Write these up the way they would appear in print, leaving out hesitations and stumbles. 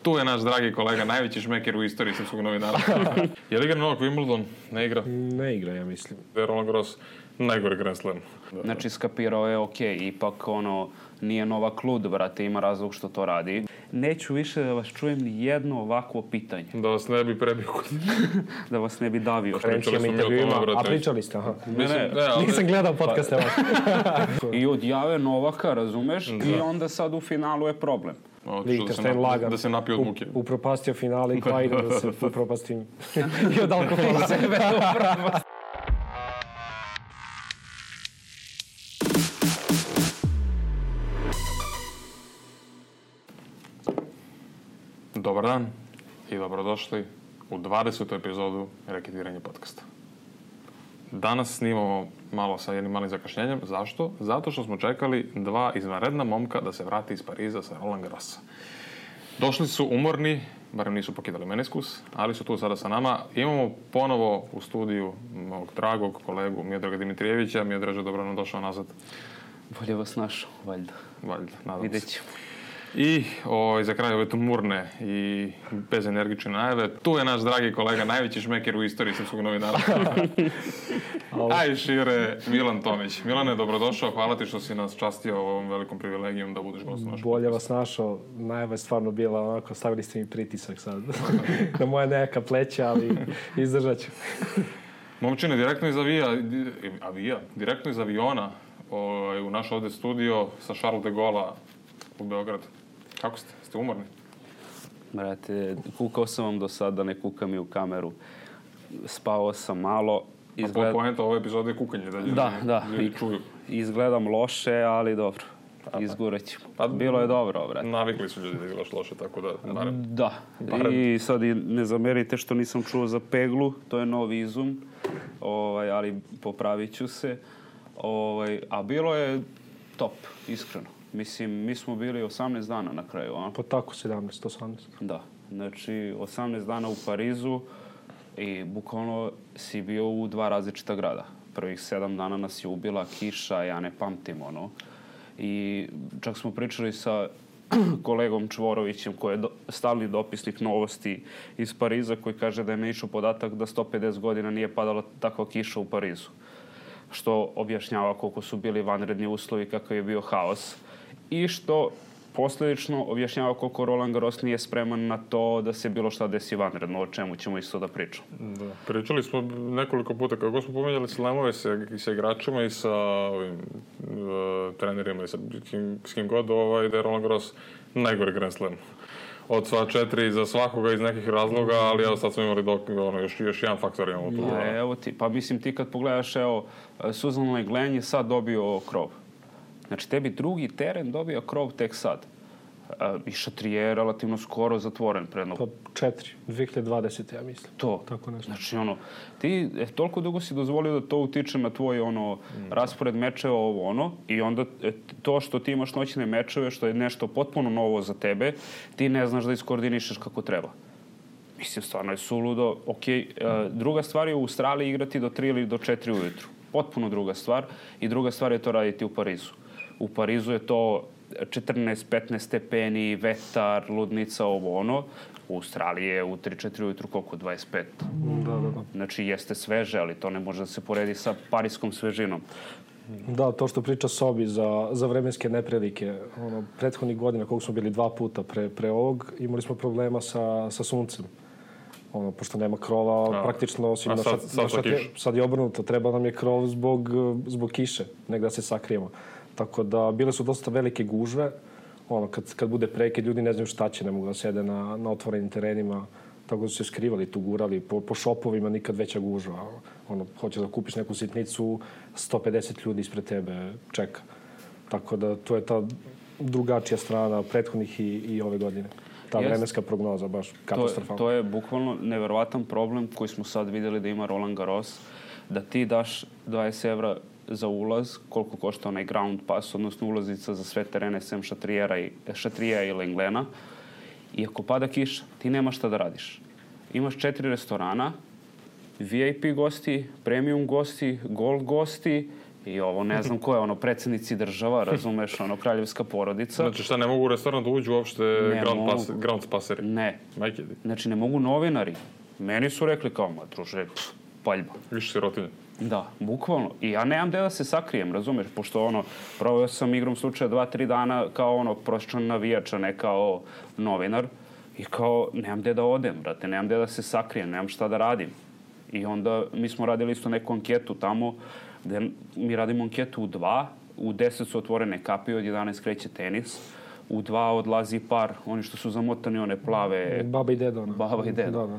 Tu je naš dragi kolega, najveći šmeker u istoriji srpskog novinarstva. Je li igra Novak Wimbledon? Ne igra? Ne igra, ja mislim. Roland Garros, najgori Grand Slam. Znači, skapirao je, ipak nije Novak lud, brate, ima razlog što to radi. Neću više da vas čujem ni jedno ovakvo pitanje. Da vas ne bi prebio. Da vas ne bi davio. A pričali ste, aha. Nisam gledao podcaste. I odjave Novaka, razumeš? I onda sad u finalu je problem. Da se napio od muke. Upropastio finale i pa idem da se upropastim i od alkohola. Dobar dan i dobrodošli u 20. epizodu Reketiranje podcasta. Danas snimamo malo sa jednim malim zakašnjenjem. Zašto? Zato što smo čekali dva izvanredna momka da se vrati iz Pariza sa Roland Garrosa. Došli su umorni, barem nisu pokidali meniskus, ali su tu sada sa nama. Imamo ponovo u studiju mog dragog kolegu Miodraga Dimitrijevića. Miodraže, dobro nam došao nazad. Bolje vas našao, valjda. Valjda, nadam se. Vidjet ćemo. I za kraj ove tumurne i bezenergične najave, tu je naš dragi kolega, najveći šmeker u istoriji srpskog novinarstva. A i šire, Milan Tomić. Milane, dobrodošao, hvala ti što si nas častio ovom velikom privilegijom da budeš gost u našem. Bolje vas našao, najava je stvarno bila onako, stavili ste mi pritisak sad na moje neka pleća, ali izdržat ću. Momčine, direktno iz aviona u naš ovdje studio sa Charles de Gaulle u Beogradu. Kako ste? Ste umorni? Brate, kukao sam vam do sada, ne kukam i u kameru. Spao sam malo. A poenta ove epizode je kukanje, da ljudi čuju. Izgledam loše, ali dobro. Izgurat ćemo. Bilo je dobro, brate. Navikli su ljudi da je loše, tako da barem. Da. I sad ne zamerite što nisam čuo za peglu, to je novi izum, ali popravit ću se. A bilo je top, iskreno. Mislim, mi smo bili 18 dana na kraju, a? Pa tako, 18. Da, znači 18 dana u Parizu i bukvalno si bio u dva različita grada. Prvih 7 dana nas je ubila kiša, ja ne pamtim I čak smo pričali sa kolegom Čvorovićem, koji je stalni dopisnik novosti iz Pariza, koji kaže da je naišao podatak da 150 godina nije padala takva kiša u Parizu. Što objašnjava koliko su bili vanredni uslovi, kakav je bio haos. I što posljedično objašnjava koliko Roland Garros nije spreman na to da se bilo šta desi vanredno, o čemu ćemo isto da pričamo. Da. Pričali smo nekoliko puta, kako smo pomenjali slamove sa igračima i sa trenerima i s kim god, da je Roland Garros najgori Grand Slam. Od sva 4 za svakoga iz nekih razloga, ali evo sad smo imali još jedan faktor imamo tu. Evo ti, pa mislim ti kad pogledaš, Suzanne Lenglen je sad dobio krov. Znači, tebi drugi teren dobio krov tek sad. I Šatrije je relativno skoro zatvoren predno. Pa 2020, ja mislim. To. Tako nešto. Znači, ti toliko dugo si dozvolio da to utiče na tvoj raspored mečeva, i onda to što ti imaš noćne mečeve, što je nešto potpuno novo za tebe, ti ne znaš da iskoordinišeš kako treba. Mislim, stvarno je suludo. Druga stvar je u Australiji igrati do 3 ili do 4 ujutru. Potpuno druga stvar. I druga stvar je to raditi u Parizu. U Parizu je to 14-15 stepeni, vetar, ludnica, U Australiji je u 3-4 ujutru koliko? 25. Da. Znači, jeste sveže, ali to ne može da se poredi sa parijskom svežinom. Da, to što priča Sobi za vremenske neprilike. Prethodnih godina, koliko smo bili 2 puta pre ovog, imali smo problema sa suncem. Pošto nema krova, praktično osim sad je obrnuto, treba nam je krov zbog kiše, negdje se sakrijemo. Tako da bile su dosta velike gužve, kad bude prekid, ljudi ne znaju šta će, ne mogu da sede na otvorenim terenima, tako da su se skrivali tu, gurali, po šopovima nikad veća gužva. Hoćeš da kupiš neku sitnicu, 150 ljudi ispred tebe čeka. Tako da to je ta drugačija strana prethodnih i ove godine. Ta vremenska prognoza, baš katastrofalna. To je bukvalno neverovatan problem koji smo sad vidjeli da ima Roland Garros, da ti daš 20 evra za ulaz, koliko košta onaj ground pass, odnosno ulaznica za sve terene sem Šatrija i Lenglena, i ako pada kiša, ti nemaš šta da radiš. Imaš 4 restorana, VIP gosti, premium gosti, gold gosti I ovo ne znam ko je, ono, predsjednici država, razumeš, ono, kraljevska porodica. Znači šta, ne mogu u restoran da uđu uopšte ground spaseri? Ne. Znači ne mogu novinari. Meni su rekli kao, ma druže, paljba. Više sirotinje. Da, bukvalno. I ja nemam gde da se sakrijem, razumeš, pošto ono, proveo sam igrom slučaja 2-3 dana kao ono, prosječan navijač, a ne kao novinar. I kao, nemam gde da odem, brate, nemam gde da se sakrijem, nemam šta da radim. I onda mi smo radili isto neku anketu tamo, gde mi radimo anketu u 2, u 10 su otvorene kapije, od 11 kreće tenis, u 2 odlazi par, oni što su zamotani, one plave... Baba i deda. Baba i deda. Da.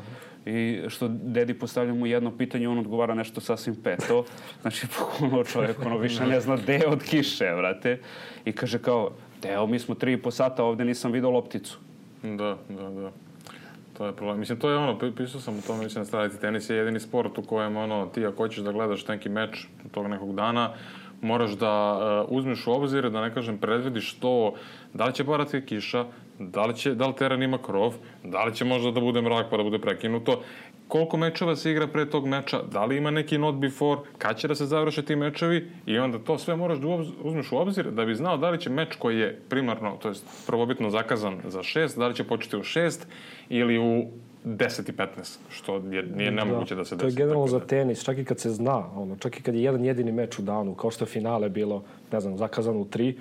I što dedi postavlja mu jedno pitanje, on odgovara nešto sasvim peto. Znači, ono čovjek, ono više ne zna gde od kiše, vrate. I kaže kao, evo, mi smo 3,5 sata, ovde nisam vidio lopticu. Da. To je problem. Mislim, to je ono, pisao sam o tome, mislim, na stranici, tenis je jedini sport u kojem, ono, ti ako hoćeš da gledaš neki meč tog nekog dana, moraš da uzmeš u obzir, da ne kažem, predvidiš to, da li će padati kiša, da li teren ima krov, da li će možda da bude mrak pa da bude prekinuto, koliko mečeva se igra pre tog meča, da li ima neki not before, kad će da se završe ti mečevi i onda to sve moraš da uzmeš u obzir da bi znao da li će meč koji je primarno, to jest prvobitno zakazan za 6, da li će početi u 6 ili u 10:15, što nije nemoguće da se desi. To je generalno za tenis, čak i kad se zna, čak i kad je jedan jedini meč u danu, kao što je finale bilo, ne znam, zakazano u 3,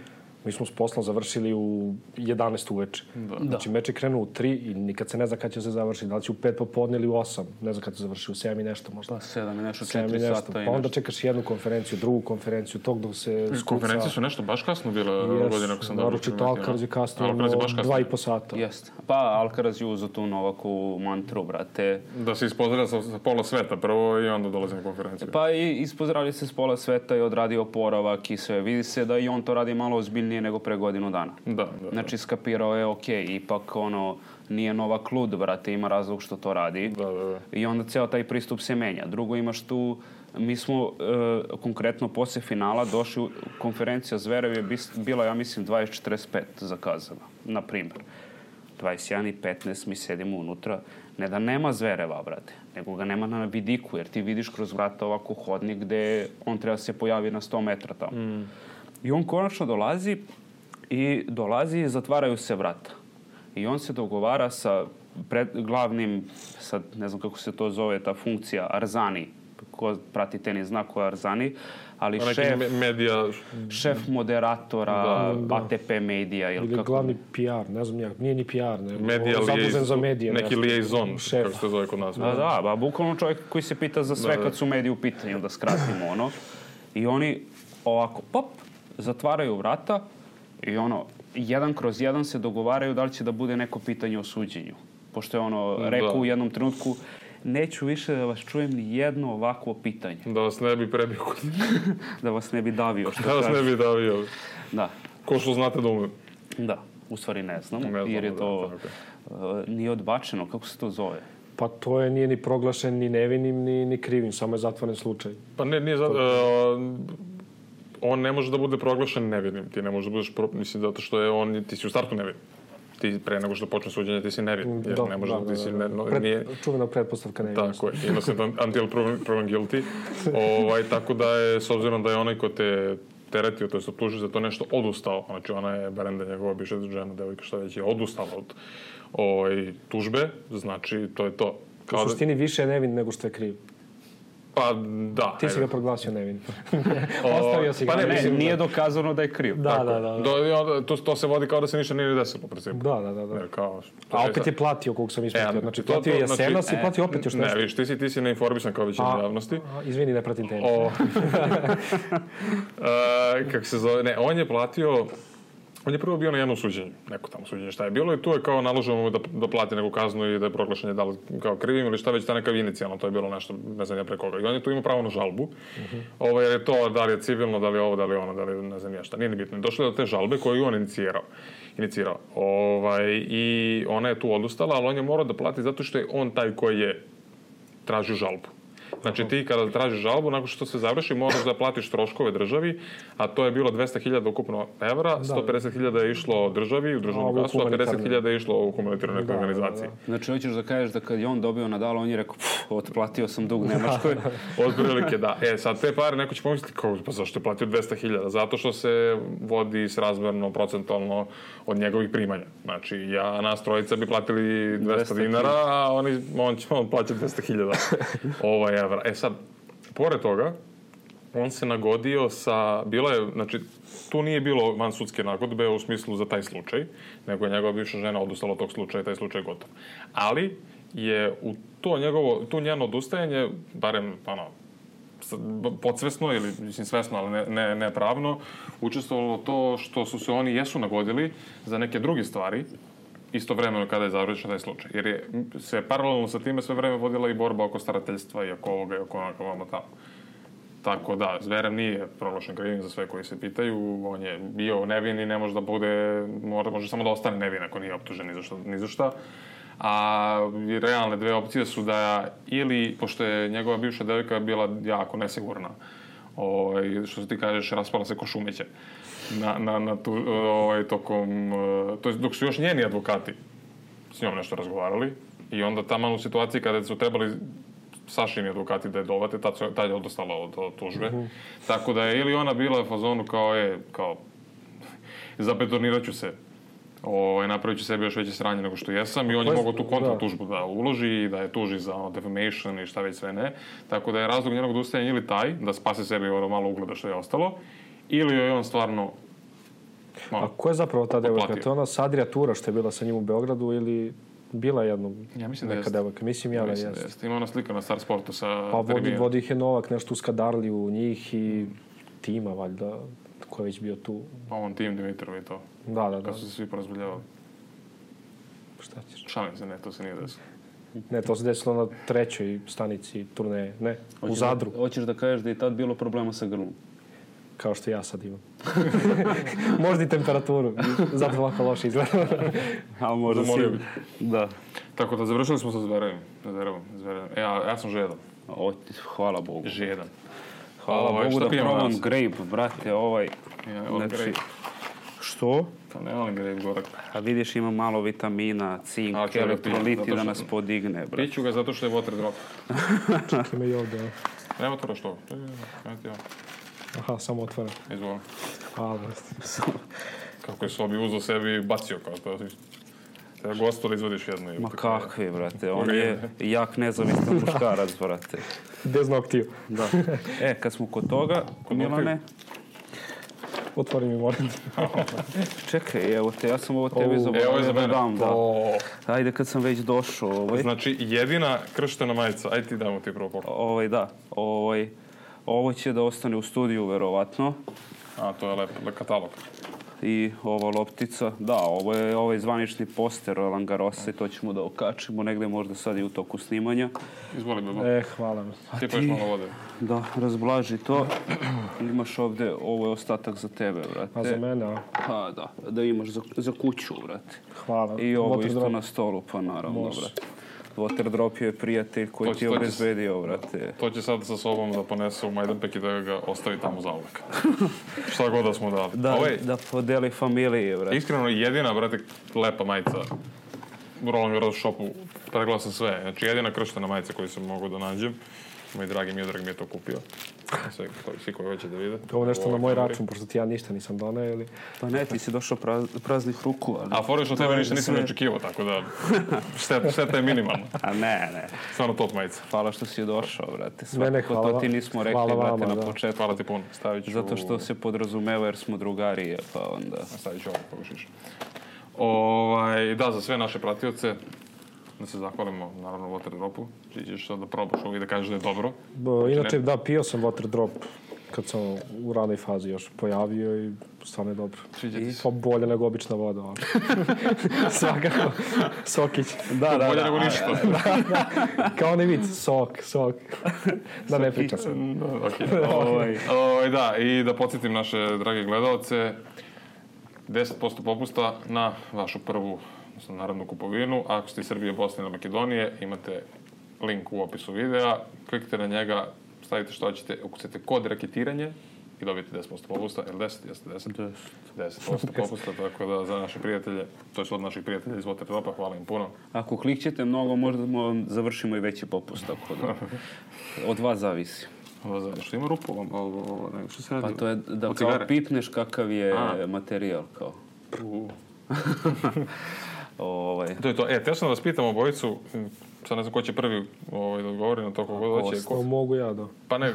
mi smo s poslom završili u 11 uveče. Znači, meč je krenuo u 3 i nikad se ne zna kad će se završiti. Da li će u 5 popodne ili u 8. Ne znam kad će se završiti, u 7 i nešto možda. Pa 7 i nešto, 4 sata. Pa onda čekaš jednu konferenciju, drugu konferenciju, tog dok se skuca. Konferencije su nešto baš kasno bile godine, ako sam dobro primetio. Naročito Alcaraz je kasno 2,5 sata. Jeste. Pa Alcaraz je uzeo tu Novaku mantru, brate. Da se ispozdravlja sa pola sveta prvo i onda dolazi na konferenciju. Pa i ispozdravlja se s pola sveta i odradio oporavak i sve. Vidi se da i on to radi malo ozbiljnije nego pre godinu dana. Da. Znači, skapirao je, ipak, nije Novak lud, brate, ima razlog što to radi. Da. I onda ceo taj pristup se menja. Drugo, imaš tu, mi smo konkretno posle finala došli, konferencija Zverev je bila, ja mislim, 20:45 zakazana, na primjer. 21:15 mi sedimo unutra. Ne da nema Zvereva, brate, nego ga nema na vidiku, jer ti vidiš kroz vrata ovako hodnik gde on treba se pojavi na 100 metra tamo. I on konačno dolazi i zatvaraju se vrata. I on se dogovara sa glavnim, sad ne znam kako se to zove, ta funkcija, Arzani. Ko prati tenis zna ko je Arzani, ali šef moderatora ATP medija. Ili glavni PR, ne znam nije ni PR, zadužen za medije. Neki liaison, kako se zove kod nas. Da, bukvalno čovjek koji se pita za sve kad su mediji u pitanju, da skratimo I oni ovako, pop, zatvaraju vrata i jedan kroz jedan se dogovaraju da li će da bude neko pitanje o suđenju. Pošto je rekao u jednom trenutku, neću više da vas čujem ni jedno ovakvo pitanje. Da vas ne bi prebio. Da vas ne bi davio. Da vas ne bi davio. Da. Ko što znate da umem. Da, u stvari ne znamo, jer je to nije odbačeno. Kako se to zove? Pa to nije ni proglašen ni nevinim, ni krivim, samo je zatvoren slučaj. Pa nije on ne može da bude proglašen nevinim. Ti ne možeš da budeš, mislim, zato što je ti si u startu nevin. Ti pre nego što počne suđenje, ti si nevin. Čuvena pretpostavka nevin. Tako je, innocent until proven guilty. Tako da je, s obzirom da je onaj ko te teretio, to je optužio za to nešto, odustao. Znači, ona je Berenda, njegova bivša žena, devojka, šta već je odustala od tužbe, znači, to je to. U suštini više je nevin nego što je kriv. Pa, da. Ti si ga proglasio nevin. Ostavio si ga. Pa nije dokazano da je kriv. Da. To se vodi kao da se ništa nije desilo, u principu. Da. A opet je platio, koliko sam ispratio. Znači, platio je Jesenas i platio opet još nešto. Ne, viš, ti si neinformisan kao većina javnosti. Izvini, ne pratim tenis. Kako se zove, ne, on je platio... On je prvo bio na jednom suđenju, neko tamo suđenje šta je bilo i tu je kao naloženo mu da plati neku kaznu i da je proglašen je da li kao krivim ili šta već ta neka inicijalno, to je bilo nešto, ne znam ja pre koga. I on je tu imao pravo na žalbu, jer je to da li je civilno, da li je ovo, da li je ono, da li ne znam ja šta, nije ni bitno. Došlo je do te žalbe koju je on inicirao. I ona je tu odustala, ali on je morao da plati zato što je on taj koji je tražio žalbu. Znači ti kada tražiš žalbu, nakon što se završi, moraš da platiš troškove državi, a to je bilo 200.000 ukupno evra, 150.000 je išlo državi u državnu kasu, a 50.000 je išlo u humanitarnoj nekoj organizaciji. Znači, hoćeš da kažeš da kad je on dobio Nadala, on je rekao, otplatio sam dug Nemačkoj. Otprilike, da. Sad te pare neko će pomisliti, pa zašto je platio 200.000? Zato što se vodi srazmerno, procentualno od njegovih primanja. Znači, nas trojica bi platili 200 dinara, a on plaća 200.000 evra. Sad, pored toga, on se nagodio znači, tu nije bilo vansudske nagodbe u smislu za taj slučaj, nego je njegova bivša žena odustala od tog slučaja i taj slučaj je gotov. Ali je u to njeno odustajanje, barem podsvesno ili mislim svesno, ali ne pravno, učestvovalo to što su se oni jesu nagodili za neke druge stvari istovremeno kada je završen taj slučaj. Jer je se paralelno sa time sve vreme vodila i borba oko starateljstva i oko ovoga i oko onoga tamo. Tako da, Zverev nije proglašen krivim za sve koji se pitaju, on je bio nevin i ne može da bude, može samo da ostane nevin ako nije optužen ni za šta. A realne dve opcije su da ili, pošto je njegova bivša devojka bila jako nesigurna, što se ti kažeš, raspala se ko šumeće tokom, to je dok su još njeni advokati s njom nešto razgovarali i onda taman u situaciji kada su trebali Sašini advokati da je dovate, tad je odostala od tužbe. Tako da je ili ona bila u fazonu kao zabetonirat ću se, napravit ću sebi još veće sranje nego što jesam i on je mogao tu kontra tužbu da uloži i da je tuži za defamation i šta već sve ne. Tako da je razlog njenog odustajanja ili taj, da spase sebi malo ugleda što je ostalo, ili je on stvarno A ko je zapravo ta devojka? To je ona Sadrija Tura što je bila sa njim u Beogradu ili bila jednom neka devojka? Mislim da jeste. Ima ona slika na Star Sportu sa Pa vodi ih je Novak nešto u Skadarliju njih i tima valjda ko je već bio tu. Pa on Tim Dimitrov i to. Da. Kad su se svi porazbiljavali. Šta ćeš? Šalim se, ne, to se nije desilo. Ne, to se desilo na 3. stanici turneje. Ne, u Zadru. Hoćeš da kažeš da je tad bilo problema sa grlom? Kao što ja sad imam. Možda i temperaturu. Zato ovako loše izgleda. A možda si... Da. Tako da završili smo sa Zverevim. Ja sam žedan. Hvala Bogu. Žedan. Hvala Bogu da probam grape, brate, Grape. Što? Pa ne volim grape gorak. A vidiš, ima malo vitamina, cink, elektroliti da nas podigne, brate. Piću ga zato što je water drop. Čekaj me i ovdje. Nema to što? Aha, samo otvoren. Izvolim. Hvala. Kako je Sobi uzao sebi i bacio kao to. Treba gostu da izvodiš jednu. Ma kakvi, brate. On je jak nezavistan muškarac, brate. Bez noktiju. Da. Kad smo kod toga, Milane... Otvori mi, moram. Čekaj, evo te, ja sam ovo tebi zaboravio da dam. Ajde, kad sam već došao. Znači, jedina krštena majica. Ajde ti damo ti prvo pogled. Da. Ovo će da ostane u studiju, verovatno. A, to je lep katalog. I ova loptica. Da, ovo je ovaj zvanični poster Roland Garrosa i to ćemo da okačimo negde možda sad i u toku snimanja. Izvoli, Bebo. Hvala mi. Sipajš malo vode. Da, razblaži to. Imaš ovde, ovo je ostatak za tebe, brate. A za mene, a? Pa da imaš za kuću, brate. Hvala. I ovo isto na stolu, pa naravno, brate. Waterdrop je prijatelj koji ti je obezbedio, brate. To će sad sa sobom da ponese u Majdanpek i da ga ostavi tamo za uvek. Šta god da smo dali. Da podeli familije, brate. Iskreno, jedina, brate, lepa majica u Roland Garros shopu. Pregledao sam sve. Znači, jedina krštena majica koju sam mogao da nađem. Moj dragi Miodrag mi je to kupio. Svi koji hoće da vide. Ovo nešto na moj račun, pošto ti ja ništa nisam donao, ili? Pa ne, ti si došao praznih ruku, ali... A foriš od tebe ništa nisam očekivao, tako da šteta je minimalna. A ne. Stvarno top majica. Hvala što si došao, brate. Ne, hvala. To ti nismo rekli, brate, na početku. Hvala ti puno. Zato što se podrazumeva jer smo drugarije, pa onda... Stavit ću ovo, poglešiš. Da, za sve naše pratioce, da se zahvalimo, naravno, Waterdropu. Ćeš sad da probaš ovo i da kažeš da je dobro. Inače, da, pio sam Waterdrop kad sam u ranoj fazi još pojavio i stvarno je dobro. Pa bolje nego obična voda. Svakako. Sokić. Da. Bolje nego ništa. Kao onaj vid, sok. Da ne pričam se. Da, i da podsjetim naše drage gledalce, 10% popusta na vašu prvu naravnu kupovinu. Ako ste iz Srbije, Bosne ili Makedonije, imate link u opisu videa, kliknite na njega, stavite što hoćete, ukucajte kod reketiranje i dobijete 10% popusta, ili 10? Jeste 10? 10% popusta, tako da za naše prijatelje, to je od naših prijatelja iz Watertopa, hvala im puno. Ako klikćete mnogo, možda završimo i veći popust, tako da od vas zavisi. Što ima rupu? Što se radi? Pa to je da kao pipneš kakav je materijal, kao. To je to. Teo sam da vas pitam obojicu, sad ne znam ko će prvi da odgovori na to kogo hoće. Mogu ja, da. Pa ne.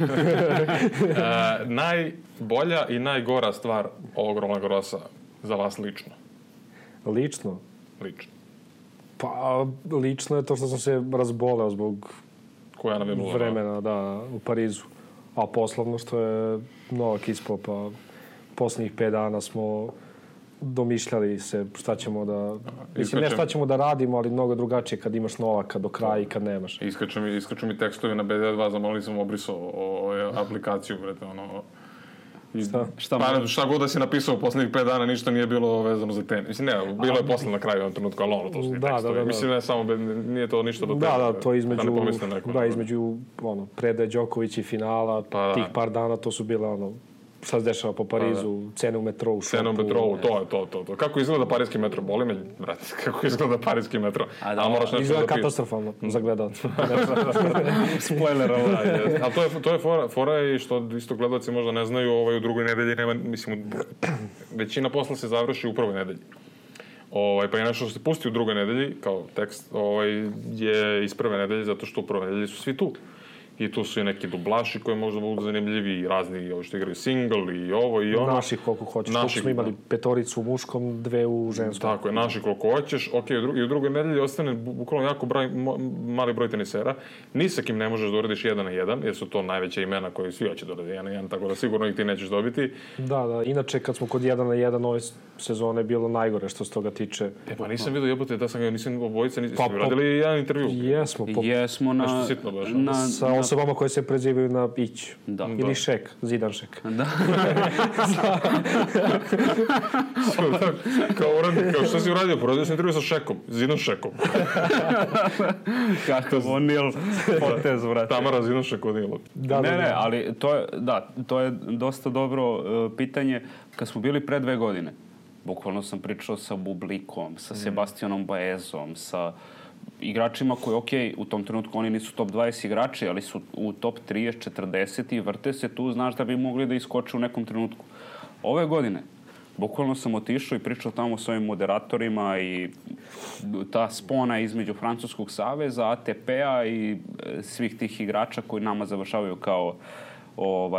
Najbolja i najgora stvar ovog Roland Garrosa za vas lično? Lično? Lično. Pa, lično je to što sam se razboleo zbog vremena, da, u Parizu. A poslovno što je Novak ispao, pa posljednjih 5 dana smo domišljali se šta ćemo da... Mislim, ne šta ćemo da radimo, ali mnogo drugačije kad imaš Novaka do kraja i kad nemaš. Iskaču mi tekstovi na BD2, zamolili sam obrisao aplikaciju, brete, Šta god da si napisao u posljednjih 5 dana, ništa nije bilo vezano za tenis. Mislim, ne, bilo je posle na kraju jednom trenutku, ali to su ti tekstovi. Mislim, ne samo, nije to ništa do tebe. Da, to između predaje Đoković i finala, tih par dana, to su bile šta se dešava po Parizu, cene u metrou, šopu. Cene u metrou, to. Kako izgleda parijski metro? Boli me, brate, kako izgleda parijski metro? Izgleda katastrofalno za gledalce. Spoiler, ali to je fora i što isto gledalci možda ne znaju, u drugoj nedelji nema, mislim, većina posla se završi u prvoj nedelji. Pa je nešto što se pusti u drugoj nedelji, kao tekst, je iz prve nedelje, zato što u prvoj nedelji su svi tu. I tu su i neki dublaši koji možda budu zanimljivi i razni što igraju single i ovo i ono. Naših koliko hoćeš. Koliko smo imali 5 u muškom, 2 u ženskom. Tako je, naših koliko hoćeš. Ok, i u drugoj nedelji ostane bukvalno jako mali broj tenisera. Ni sa kim ne možeš da uradiš 1 na 1, jer su to najveća imena koji svi hoće da uradi 1 na 1, tako da sigurno ih ti nećeš dobiti. Da. Inače, kad smo kod 1 na 1 ove sezone, bilo najgore što se toga tiče. Pa nisam vidio jebote, da sam ga, nisam obojica, nisam uradili jedan intervju. Jesmo sa osobama koje se prezivaju na Ić. Ili Šek, Zidan Šek. Da. Kao što si uradio? Porodio sam intervju sa Šekom, Zidan Šekom. Kakav O'Neal potez, vrati. Tamara Zidan Šek O'Neal. Ne, ali to je dosta dobro pitanje. Kad smo bili pre 2 godine, bukvalno sam pričao sa Bublikom, sa Sebastianom Baezom, sa igračima koji, u tom trenutku oni nisu top 20 igrači, ali su u top 30, 40 i vrte se tu, znaš da bi mogli da iskoče u nekom trenutku. Ove godine, bukvalno sam otišao i pričao tamo s ovim moderatorima i ta spona između Francuskog saveza, ATP-a i svih tih igrača koji nama završavaju kao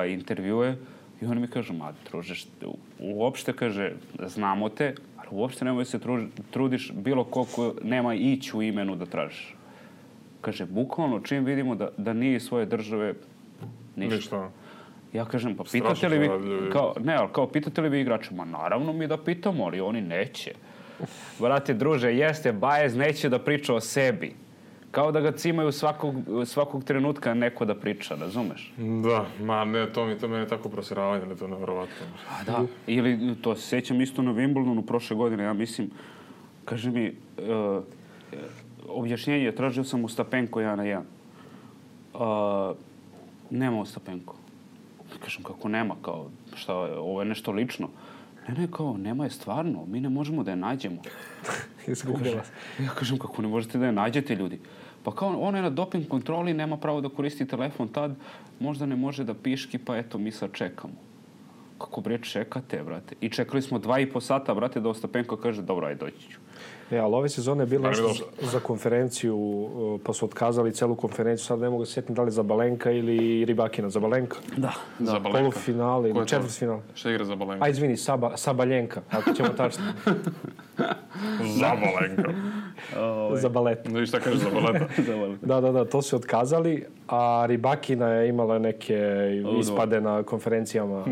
intervjue. I oni mi kažu, druže, uopšte, kaže, znamo te, ali uopšte nemoj se trudiš bilo koliko nema Ić u imenu da tražiš. Kaže, bukvalno, čim vidimo da nije svoje države, ništa. Ja kažem, pa pitate li vi, pitate li vi igrače? Ma naravno mi da pitamo, ali oni neće. Brate, druže, jeste, Baez neće da priča o sebi. Kao da ga cimaju svakog trenutka neko da priča, razumeš? Da, to mene tako prosiravanje, ali to je nevjerovatno. Da, ili to se sjećam isto na Wimbledonu prošle godine, ja mislim, kaže mi, objašnjenje, tražio sam Ostapenko 1 na 1. Nema Ostapenko. Kažem, kako nema, kao, šta, ovo je nešto lično. Ne, kao, nema je stvarno, mi ne možemo da je nađemo. Ja kažem, kako ne možete da je nađete, ljudi? Pa kao, ona je na doping kontroli, nema pravo da koristi telefon tad, možda ne može da piški, pa eto, mi sad čekamo. Kako, bre, čekate, brate? I čekali smo 2,5 sata, brate, da Ostapenko kaže, dobro, aj doći ću. Ali ove sezone je bilo nešto za konferenciju, pa su otkazali celu konferenciju, sad ne mogu se sjetiti da li Zabalenka ili Rybakina. Zabalenka? Da. Polufinale ili četvrtfinale. Šta igra Zabalenka? Izvini, Sabaljenka, ako ćemo tačno. Zabalenka. Za balet. Da, šta kažeš za baleta? Da, to su otkazali, a Rybakina je imala neke ispade na konferencijama.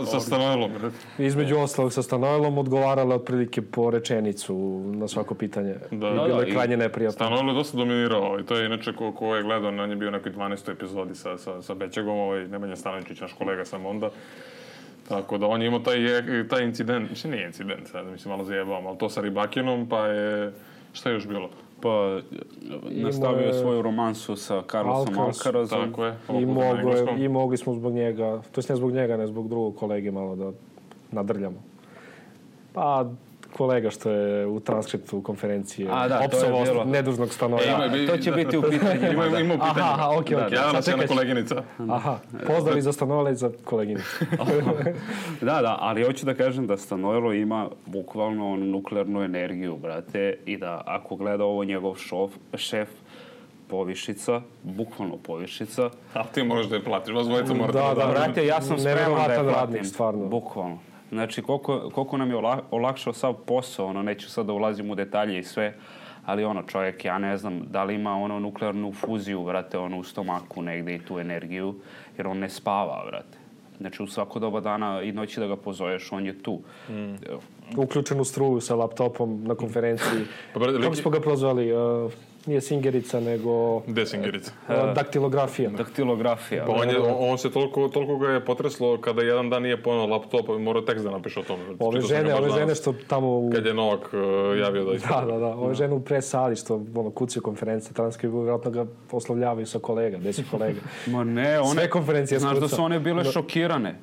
Sa Stanojlom. Između ostalog sa Stanojlom odgovarala otprilike po rečenicu na svako pitanje. Bilo je krajnje neprijatno. Stanojlo je dosta dominirao i to je inače ko je gledao, on je bio u nekoj 12. epizodi sa Bećegom, Nemanja Stanojčić, naš kolega sam onda. Tako da on je imao taj incident, mislim nije incident, sad mi se malo zajebavam, ali to sa Rybakinom, pa je, šta je još bilo? Pa nastavio je svoju romansu sa Carlosom Alcarazom. Tako je. I mogli smo zbog njega, to jest ne zbog njega, ne zbog drugog kolege malo da nadrljamo. Pa kolega što je u transkriptu konferencije opsovao nedužnog Stanoja. To će biti u pitanju. Ima u pitanju. Aha, okej. Javna se jedna koleginica. Aha, pozdrav i za Stanojla i za koleginicu. Da, ali hoću da kažem da Stanojlo ima bukvalno onu nuklearnu energiju, brate, i da ako gleda ovo njegov šef, povišica, bukvalno povišica. A ti možeš da je platiš, vas dvojica morate da brate, ja sam spreman da je platim. Stvarno. Bukvalno. Znači, koliko nam je olakšao sav posao, neću sad da ulazim u detalje i sve, ali čovjek, ja ne znam da li ima nuklearnu fuziju, brate, u stomaku negde i tu energiju, jer on ne spava, brate. Znači, u svako doba dana i noći da ga pozoveš, on je tu. Uključen u struju sa laptopom na konferenciji. Kako smo ga prozvali? Nije Singerica, nego... Gde Singerica? Daktilografija. Daktilografija. Pa on se toliko ga je potreslo kada jedan dan nije ponao laptop, mora tekst da napiše o tome. Ove žene što tamo... Kad je Novak javio da isto. Da. Ove žene u presali što kucaju konferencije, transkript, vjerojatno ga poslovljavaju sa kolega, 10 kolega. Ma ne, sve konferencije znaš da su one bile šokirane.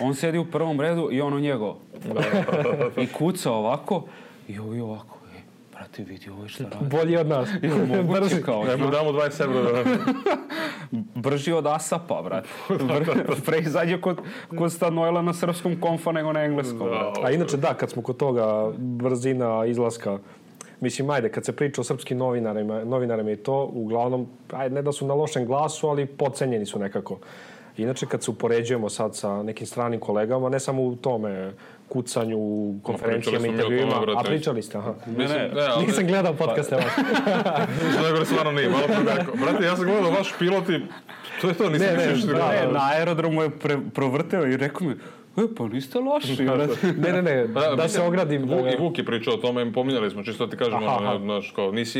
On sedi u prvom redu i njegov. I kuca ovako i ovako. Brate, vidi ovo šta radi. Bolji od nas. Brži kao. Nemo damo 20 evra. Brži od ASAP-a, brate. Pre izađe kod Stanojla na srpskom konfa nego na engleskom. A inače kad smo kod toga brzina izlaska, mislim, ajde, kad se priča o srpskim novinarima i to, uglavnom, ne da su na lošem glasu, ali podcenjeni su nekako. Inače, kad se upoređujemo sad sa nekim stranim kolegama, ne samo u tome kucanju, konferencijama, intervjuima, a pričali ste, aha. Nisam gledao podcaste vaš. Nego stvarno nije, malo progako. Brate, ja sam gledao vaš pilot i to je to, nisam više na aerodromu je provrteo i rekao mi, pa niste loši. Ne, da se ogradim. I Vuk je pričao o tome, pominjali smo, čisto ti kažemo,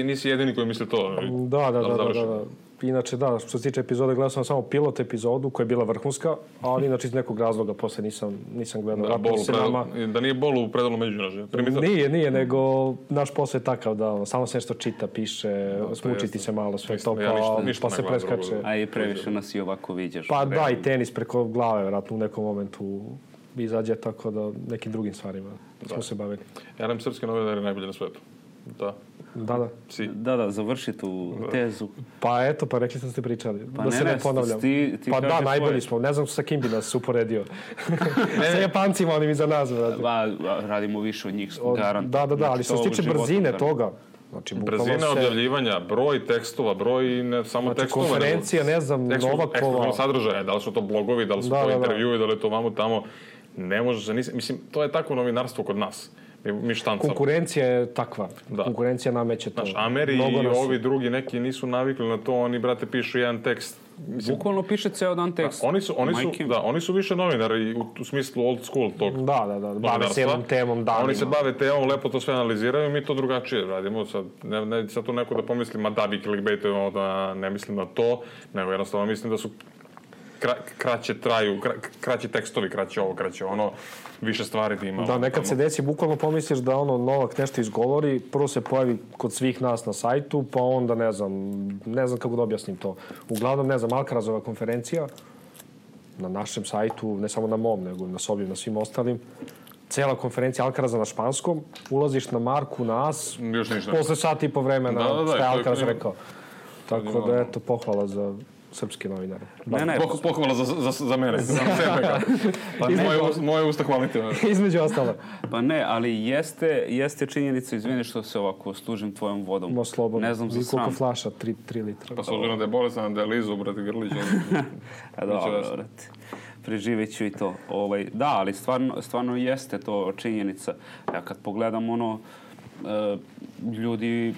nisi jedini koji misli to. Da. Inače, što se tiče epizode, gledao sam samo pilot epizodu koja je bila vrhunska, ali inače iz nekog razloga posle nisam gledao. Da nije bol u predalu Međunažje. Nije, nego naš posao je takav da samo se nešto čita, piše, smučiti se malo, sve to, pa se preskače. A i previše nas i ovako viđaš. Pa da, i tenis preko glave, vjerojatno u nekom momentu izađe, tako da nekim drugim stvarima smo se bavili. Ja nam srpske novinari najbolje na svetu. Da, završi tu tezu. Pa eto, rekli ste pričali. Pa da se ne ponavljam. Pa da, najbolji smo. Ne znam sa kim bi nas uporedio. Sa Japancima, onim iza nas. Radimo više od njih, garant. Da, ali što se tiče brzine toga, brzina objavljivanja, broj tekstova, broj ne samo tekstova. Konferencija, ne znam, Novakova. Ekskluzivno sadržaje, da li su to blogovi, da li su to intervjui, da li je to vamo tamo. Ne može se, mislim, to je takvo novinarstvo kod nas. Mi štancamo. Konkurencija je takva. Konkurencija nameće to. Ameri i ovi drugi neki nisu navikli na to, oni, brate, pišu jedan tekst. Bukvalno piše ceo dan tekst. Oni su više novinari u smislu old school tog. Da, bave se jednom temom danima. Oni se bave temom, lepo to sve analiziraju i mi to drugačije radimo. Sad tu neko da pomisli, ma da, vi clickbaitujemo, da ne mislim na to, nego jednostavno mislim da su kraće tekstovi, kraće ovo, kraće ono, više stvari da ima. Da, nekad se desi, bukvalno pomisliš da Novak nešto izgovori, prvo se pojavi kod svih nas na sajtu, pa onda ne znam kako da objasnim to. Uglavnom, ne znam, Alcarazova konferencija na našem sajtu, ne samo na mom, nego na sobi, na svim ostalim, cela konferencija Alcaraza na španskom, ulaziš na Marku, na As, posle sati i po vremena što je Alcaraz rekao. Tako da, eto, pohvala za srpske novinare. Pohvala za mene, za sebe. Moje usta hvalite. Između ostalo. Pa ne, ali jeste činjenica, izvini što se ovako služim tvojom vodom. No, slobodno. Ne znam za sram. Koliko flaša? 3 litra. Pa s obzirom da je bolestan, da je Lizu, brate, Grlić. Dobro, brate. Preživjet ću i to. Da, ali stvarno jeste to činjenica. Ja kad pogledam ljudi,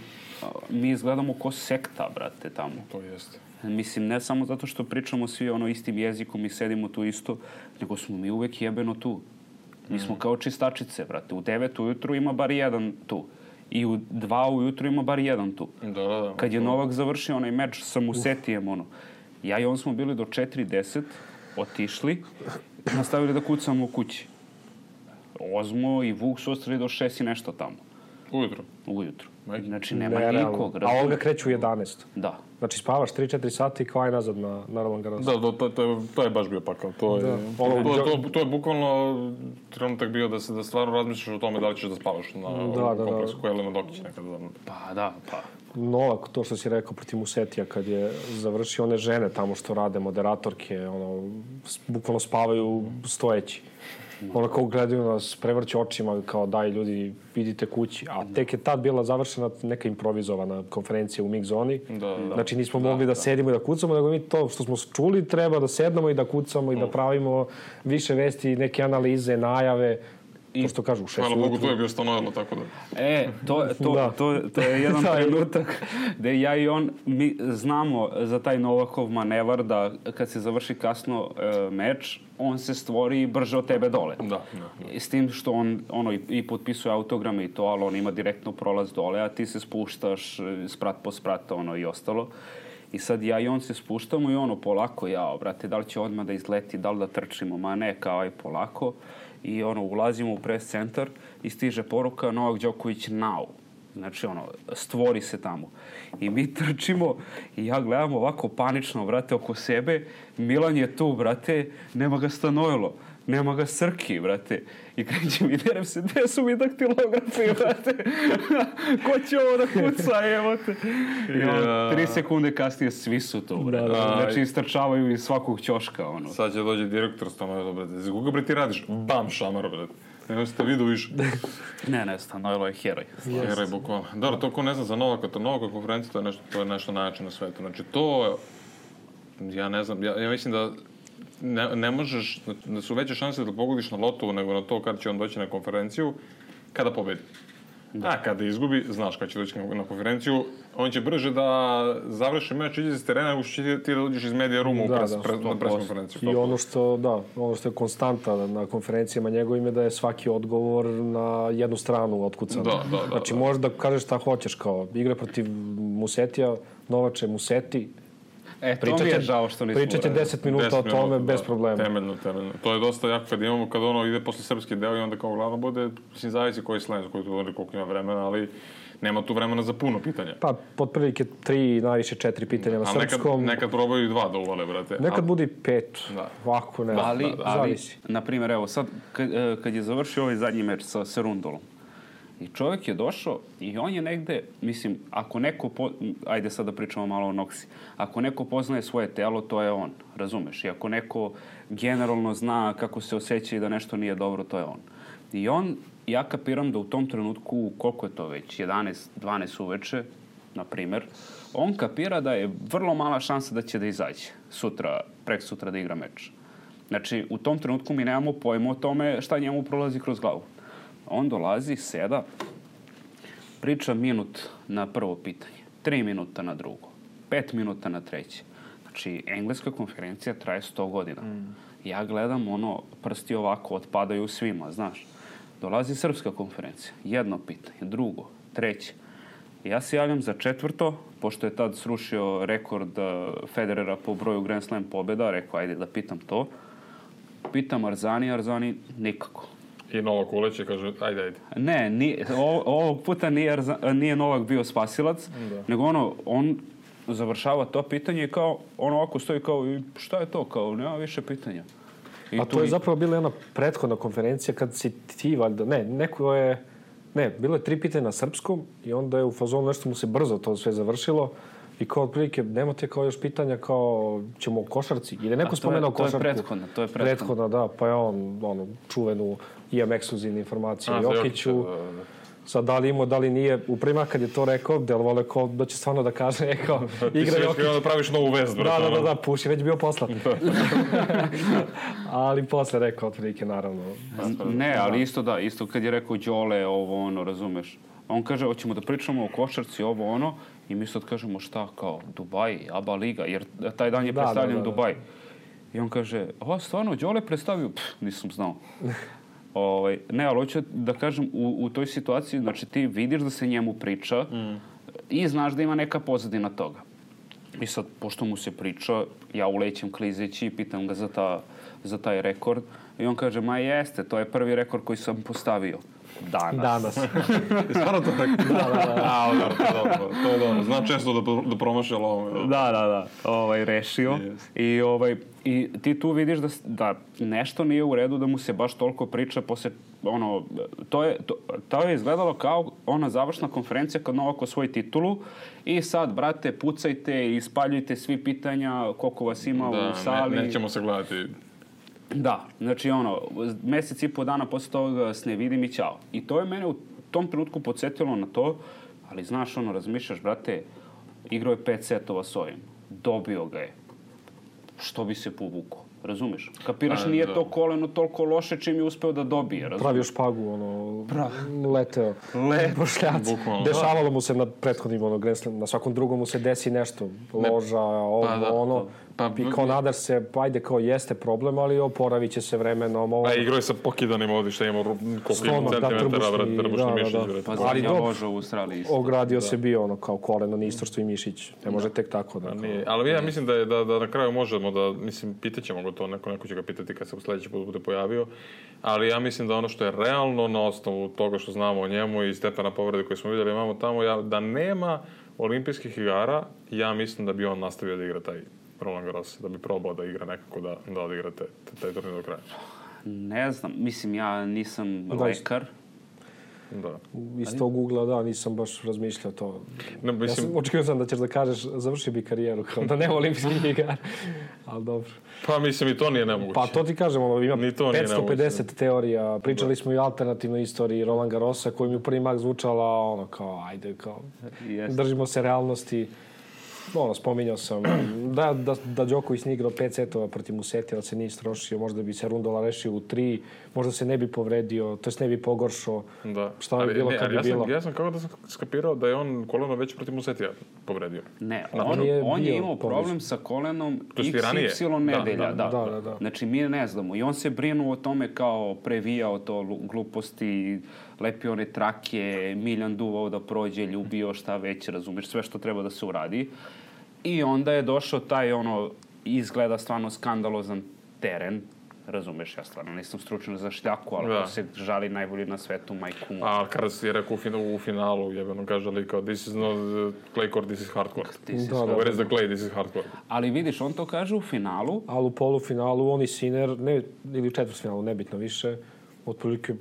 mi izgledamo ko sekta, brate, tamo. To jeste. Mislim, ne samo zato što pričamo svi istim jezikom i sedimo tu isto, nego smo mi uvek jebeno tu. Mi smo kao čistačice, brate. U 9 ujutru ima bar jedan tu. I u 2 ujutru ima bar jedan tu. Da. Kad je Novak završio onaj meč sa Musetijem, ja i on smo bili do 4:10, otišli, nastavili da kucamo u kući. Ozmo i Vuk su ostali do 6 i nešto tamo. Ujutro. Majke. Znači, nema Nerealno. nikog. A on ga kreće u 11. Da. Znači, spavaš 3-4 sati i kao aj nazad na Roland Garros. Da, to je baš bio pakao. To je bukvalno trenutak bio da stvarno razmišljaš o tome da li ćeš da spavaš na kompleksu koji je Elena Dokić nekada. Pa. Novak, to što si rekao protiv Musetija kad je završio, one žene tamo što rade, moderatorke, bukvalno spavaju stojeći. Ono kao gledaju nas, prevrće očima, kao daj ljudi, idite kući. A tek je tad bila završena neka improvizovana konferencija u mix zoni. Znači nismo mogli da sedimo i da kucamo, nego mi to što smo čuli treba da sednemo i da kucamo i da pravimo više vesti, neke analize, najave. To što kažu u 6 Hvala Bogu, to je bio Stanojlo, tako da... To je jedan trenutak gde ja i on, mi znamo za taj Novakov manevar da kad se završi kasno meč, on se stvori brže od tebe dole. Da. S tim što on i potpisuje autograme i to, ali on ima direktno prolaz dole, a ti se spuštaš sprat po sprat i ostalo. I sad ja i on se spuštamo i polako, brate, da li će odmah da izleti, da li da trčimo, ma ne, kao aj polako. I ulazimo u press centar i stiže poruka Novak Đoković now. Znači, stvori se tamo. I mi trčimo i ja gledam ovako panično, brate, oko sebe. Milan je tu, brate, nema ga Stanojlo, nema ga Srki, brate. I krećem i derem se, gde su mi daktilografi, brate? Ko će ovo da kuca, evo te? 3 sekunde kasnije svi su tu, brate. Znači, istrčavaju iz svakog ćoška, Sad će dođe direktor Stanojlo, brate. Za koga, bre, ti radiš? Bam, šamar, brate. Ne ste vidio više. Ne, Stanojlo je heroj. Heroj, bukvalno. Dobro, to ko ne zna za Novaka, to Novaka konferencija, to je nešto najjače na svetu. Znači, to, ja ne znam, ja mislim da ne možeš, da su veće šanse da pogodiš na lotovu nego na to kada će on doći na konferenciju, kada pobedi. A kada izgubi, znaš kada će doći na konferenciju, on će brže da završi meč, iđe iz terena, nego što ti da dođeš iz medija ruma na pres konferenciju. I ono što je konstanta na konferencijama njegovim je da je svaki odgovor na jednu stranu otkucan. Znači možeš da kažeš šta hoćeš, kao igra protiv Musetija, Novače Museti, to mi je žao što nismo pričat će 10 minuta o tome bez problema. Temeljno. To je dosta jako kad imamo, kad ide posle srpski deo i onda kao glavno bude, mislim, zavisi koji slen, koji tu koliko ima vremena, ali nema tu vremena za puno pitanja. Pa, potprilike 3, najviše 4 pitanja na srpskom. Nekad probaju i 2 da uvale, brate. Nekad bude i 5. Ovako ne. Ali, zavisi. Na primjer, evo sad, kad je završio ovaj zadnji meč sa Rundolom, i čovjek je došao i on je negde, mislim, ako neko, ajde sad da pričamo malo o Noksi, ako neko poznaje svoje telo, to je on, razumeš? I ako neko generalno zna kako se osjeća i da nešto nije dobro, to je on. I ja kapiram da u tom trenutku, koliko je to već, 11, 12 uveče, na primjer, on kapira da je vrlo mala šansa da će da izađe prek sutra da igra meč. Znači, u tom trenutku mi nemamo pojma o tome šta njemu prolazi kroz glavu. On dolazi, seda, priča minut na prvo pitanje, 3 minuta na drugo, 5 minuta na treće. Znači, engleska konferencija traje 100 godina. Ja gledam, prsti ovako otpadaju svima, znaš. Dolazi srpska konferencija, jedno pitanje, drugo, treće. Ja se javljam za 4, pošto je tad srušio rekord Federera po broju Grand Slam pobjeda, rekao, ajde da pitam to. Pitam Arzani nikako. I Novak uleće, kaže, ajde. Ne, ovog puta nije Novak bio spasilac, nego on završava to pitanje i kao, ovako stoji kao, šta je to, kao, nema više pitanja. A to je zapravo bila jedna prethodna konferencija kad si ti, valjda, bilo je 3 pitanja na srpskom i onda je u fazonu nešto mu se brzo to sve završilo i kao otprilike, nemate kao još pitanja kao ćemo o košarci, ili neko spomenuo košarku. To je prethodna. Da, pa je on čuvenu imam ekskluzivne informacije o Jokiću. Sad, da li imao, da li nije, u prima kad je to rekao, delovalo kao da će stvarno da kaže, kao, igra Jokić. Ti da praviš novu vezu. Da, puši, već bio poslat. Ali posle rekao, otprilike, naravno. Ne, ali isto kad je rekao Đole, razumeš. On kaže, hoćemo da pričamo o košarci, i mi sad kažemo šta, kao, Dubaj, ABA liga, jer taj dan je predstavljen Dubaj. I on kaže, stvarno, Đole predstavio? Nisam znao. Ne, ali hoću da kažem, u toj situaciji, znači ti vidiš da se njemu priča i znaš da ima neka pozadina toga. I sad, pošto mu se priča, ja ulećem klizeći i pitam ga za taj rekord i on kaže, ma jeste, to je prvi rekord koji sam postavio. Danas. Stvarno to tako? Da. To je dobro. Znam često da promaši lovome. Da. Rešio. Yes. I ti tu vidiš da nešto nije u redu, da mu se baš toliko priča posle, to je izgledalo kao ona završna konferencija kad Novak osvoji titulu i sad, brate, pucajte i ispaljujte svi pitanja koliko vas ima u sali. Nećemo se gledati. Da, znači mesec i po dana posle toga se ne vidim i ćao. I to je mene u tom trenutku podsjetilo na to, ali znaš, razmišljaš, brate, igrao je 5 setova s ovim, dobio ga je, što bi se povukao, razumeš? Kapiraš, nije to koleno toliko loše čim je uspeo da dobije, razumeš? Pravio špagu, leteo. Bošljac. Dešavalo mu se na prethodnim Grand Slam, na svakom drugom mu se desi nešto, loža, i kao nadaš se, ajde kao jeste problem, ali oporavit će se vremenom. Igrao je sa pokidanim ovdje, šta imamo koliko centimetara, trbušni mišić. Ali loža u Australiji. Ogradio se bio kao koleno, nistorstvo i mišić. Ne može tek tako da... Ali ja mislim da na kraju možemo da, mislim, pitaćemo ga to, neko će ga pitati kad se u sljedeći put bude pojavio, ali ja mislim da ono što je realno na osnovu toga što znamo o njemu i stepena povrede koje smo vidjeli imamo tamo, da nema olimpijskih igara, ja mislim da bi on nastavio da igra taj Roland Garros, da bi probao da igra nekako da odigra taj turnir do kraja. Ne znam, mislim, ja nisam lekar. Da. Iz tog ugla, nisam baš razmišljao to. Ne, mislim... Očekio sam da ćeš da kažeš, završi bi karijeru, kao da nema olimpijskih igara, ali dobro. Pa mislim, i to nije nemoguće. Pa to ti kažem, ima 550 teorija, pričali smo i o alternativnoj istoriji Roland Garrosa, koji mi u prvi mak zvučala, držimo se realnosti. Spominjao sam da Đoković nije igrao 5 setova protiv Musetija, da se nije istrošio, možda bi se Rundola rešio u 3, možda se ne bi povredio, to jest ne bi pogoršao. Da. Šta bi bilo kad bi bilo? Ja sam kako da sam skapirao da je on koleno već protiv Musetija povredio. Ne, on je imao problem sa kolenom XY nedelja. Da. Znači, mi ne znamo. I on se brinuo o tome kao previjao to gluposti, lepio one trake, miljan duvao da prođe, ljubio, šta već, razumeš, sve što treba da se uradi. I onda je došao taj, izgleda stvarno skandalozan teren. Razumeš, ja stvarno nisam stručan za šljaku, ali se žali najbolji na svetu, majku mu. A kada si je rekao u finalu, jebeno kaže li kao this is not clay court, this is hard court. Where is the clay, this is hard court. Ali vidiš, on to kaže u finalu. Ali u polufinalu, on i Sinner, ili u četvrtfinalu, nebitno više, otprilike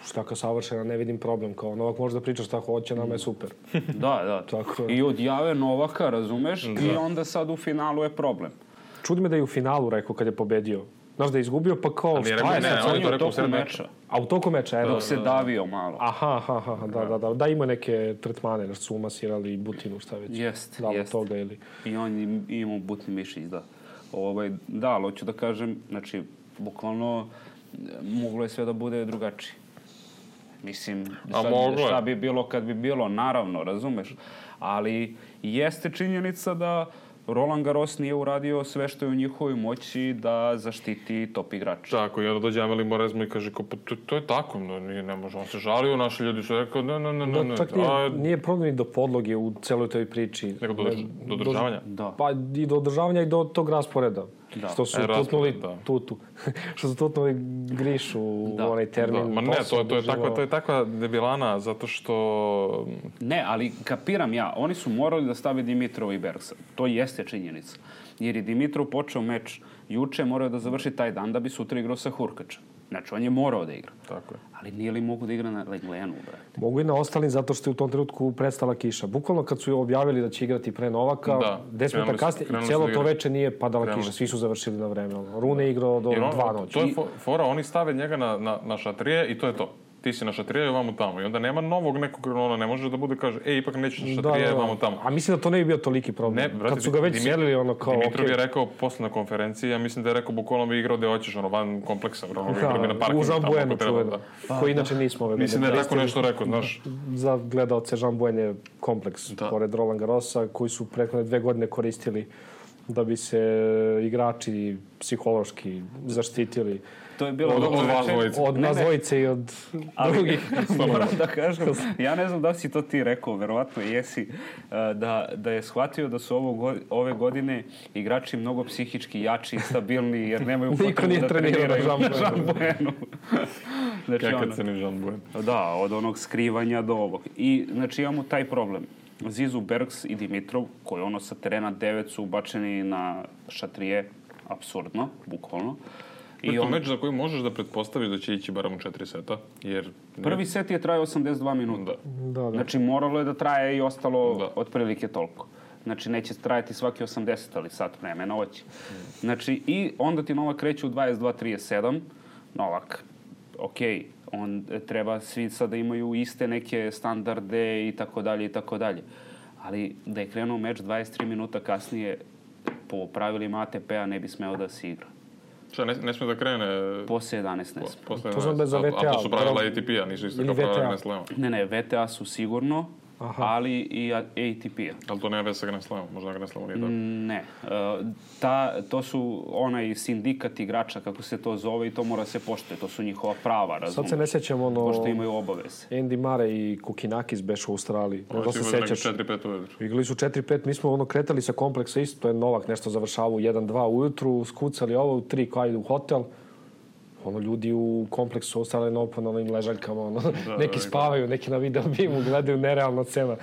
štaka savršena, ne vidim problem. Kao Novak može da priča šta hoće, nama je super. Da. I odjave Novaka, razumeš, i onda sad u finalu je problem. Čudi me da je u finalu rekao kad je pobedio. Znaš da je izgubio, pa kao šta je sad? On je u toku meča. A u toku meča, dok se davio malo. Aha, da, ima neke tretmane, nešto su umasirali butinu, šta već. Jest. Toga, ili... I on imao butni mišić, da. Da, ali hoću da kažem, znači, bukvalno, moglo je sve da bude drugačije. Mislim, šta bi bilo kad bi bilo, naravno, razumeš, ali jeste činjenica da Roland Garros nije uradio sve što je u njihovoj moći da zaštiti top igrača. Tako, i onda dođe Amelie Mauresmo i kaže, to je tako, ne može, on se žalio, naši ljudi su rekao, ne. Čak nije problem i do podloge u celoj toj priči. Nego do održavanja? Da. Pa i do održavanja i do tog rasporeda. Da. Što su tutnuli što su tutnuli Grišu u onaj termin. Ma ne, to je takva debilana, zato što... Ne, ali kapiram ja, oni su morali da stave Dimitrova i Bergsa. To jeste činjenica. Jer je Dimitrov počeo meč juče, morao da završi taj dan da bi sutra igrao sa Hurkačem. Znači, on je morao da igra. Tako je. Ali nije li mogu da igra na Leglenu, brate? Mogu i na ostalim, zato što je u tom trenutku prestala kiša. Bukvalno kad su objavili da će igrati pre Novaka, 10 minuta kasnije, i cijelo to veče nije padala kiša. Svi su završili na vreme. Rune je igrao do 2 noći. To je fora, oni stave njega na šatrije i to je to. Ti si na šatrije i ovamo tamo. I onda nema novog nekog, ne može da bude, kaže, ipak nećeš na šatrije, ovamo tamo. A mislim da to ne bi bio toliki problem. Kad su ga već selili, kao... Dimitrov je rekao posle na konferenciji, ja mislim da je rekao, bukvalno bi igrao gde hoćeš, van kompleksa, u Jean Buenu čuveno, koji inače nismo ove godine. Mislim da je tako nešto rekao, znaš. Za gledalce Jean Buen je kompleks, pored Roland Garrosa, koji su prethodne 2 godine koristili da bi se igrači psihološki zaštitili. To je bilo od nas dvojice i od drugih. Moram da kažem, ja ne znam da si to ti rekao, verovatno jesi, da je shvatio da su ove godine igrači mnogo psihički jači i stabilni, jer nemaju potrebu da treniraju na Jean Buenu. Znači, Kakav crni Jean Buen. Da, od onog skrivanja do ovog. I, znači, imamo taj problem. Zizu, Bergs i Dimitrov, koji sa terena 9 su ubačeni na šatrije, apsurdno, bukvalno. To meč za koji možeš da pretpostaviš da će ići barem u 4 seta, jer... Prvi set je trajao 82 minuta. Da. Znači, moralo je da traje i ostalo otprilike toliko. Znači, neće trajati svaki 80, ali sat vremena hoće. Znači, i onda ti Novak kreće u 22-37. Novak, okej, on treba svi sada imaju iste neke standarde i tako dalje i tako dalje. Ali da je krenuo meč 23 minuta kasnije, po pravilima ATP-a ne bi smeo da se igra. Šta, ne smije da krene... Posle 11 ne smije. To znam da je za VTA. A to su pravila ATP-a, nisu isto kao pravila Grand Slema. Ne, VTA su sigurno, ali i ATP-a. Ali to nema veze sa Grand Slamom, možda Grand Slamu nije tako. Ne. To su onaj sindikat igrača, kako se to zove, i to mora se poštuje. To su njihova prava, razumiješ? Sad se ne sjećam Pošto imaju obaveze. Andy Murray i Kukinakis bešu u Australiji. Ovo se igrali 4-5 ujutru. Igrali su 4-5, mi smo kretali sa kompleksa isto, to je Novak nešto završavao u 1-2 ujutru, skucali ovo u 3 kao idu u hotel. Ljudi u kompleksu Australian Open, onim ležaljkama, neki spavaju, neki na video bimu, gledaju nerealna cena.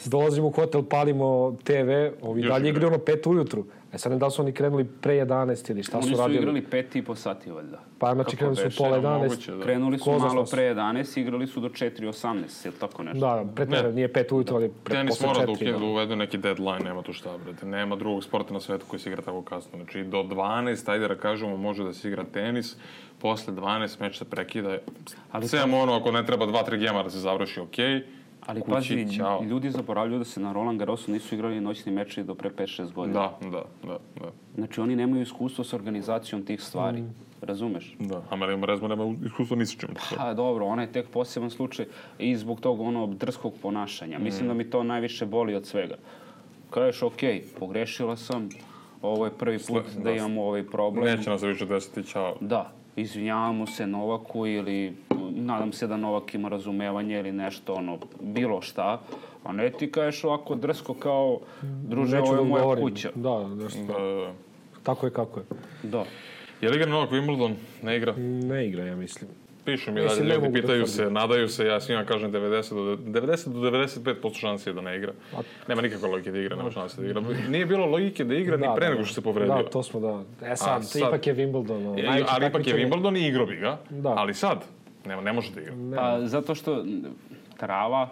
Dolazimo u hotel, palimo TV, ovi dalje igraju 5 ujutru. Sad ne da li su oni krenuli pre 11 ili šta su radili? Oni su igrali 5,5 sati, valjda. Pa znači krenuli su pola 11. Krenuli su malo pre 11, igrali su do 4:18, ili tako nešto. Da, nije 5 ujutru, ali posle 4. Tenis mora da uvedu neki deadline, nema tu šta, brate. Nema drugog sporta na svetu koji se igra tako kasno. Znači, do 12, ajde da kažemo, može da se igra tenis, posle 12 meč se prekida. Sve ono, ako ne treba 2-3 gema da se završi, okej. Ali pazi, ljudi zaboravljaju da se na Roland Garrosu nisu igrali noćni meči do pre 5-6 godina. Da. Znači, oni nemaju iskustvo s organizacijom tih stvari. Razumeš? Da, a Marija Rezma nema iskustvo ni s čim. Pa dobro, ona je tek poseban slučaj i zbog tog drskog ponašanja. Mislim da mi to najviše boli od svega. Kažeš, okej, pogrešila sam, ovo je prvi put da imamo ovaj problem. Neće nas više desiti, čao. Da, izvinjavamo se Novaku ili nadam se da Novak ima razumevanje ili nešto, bilo šta. A ne ti kažeš ovako drsko kao, druže, ovo je moja kuća. Da. Tako je kako je. Da. Je li igra Novak Wimbledon? Ne igra? Ne igra, ja mislim. Pišu mi dalje, ljudi pitaju se, nadaju se, ja svima kažem 90 do 95% šanse je da ne igra. Nema nikakve logike da igra, nema šanse da igra. Nije bilo logike da igra ni pre nego što se povredio. Da, to smo sad, ipak je Wimbledon. Ali ipak je Wimbledon i igro bi ga, ali sad ne može da igra. Pa zato što trava,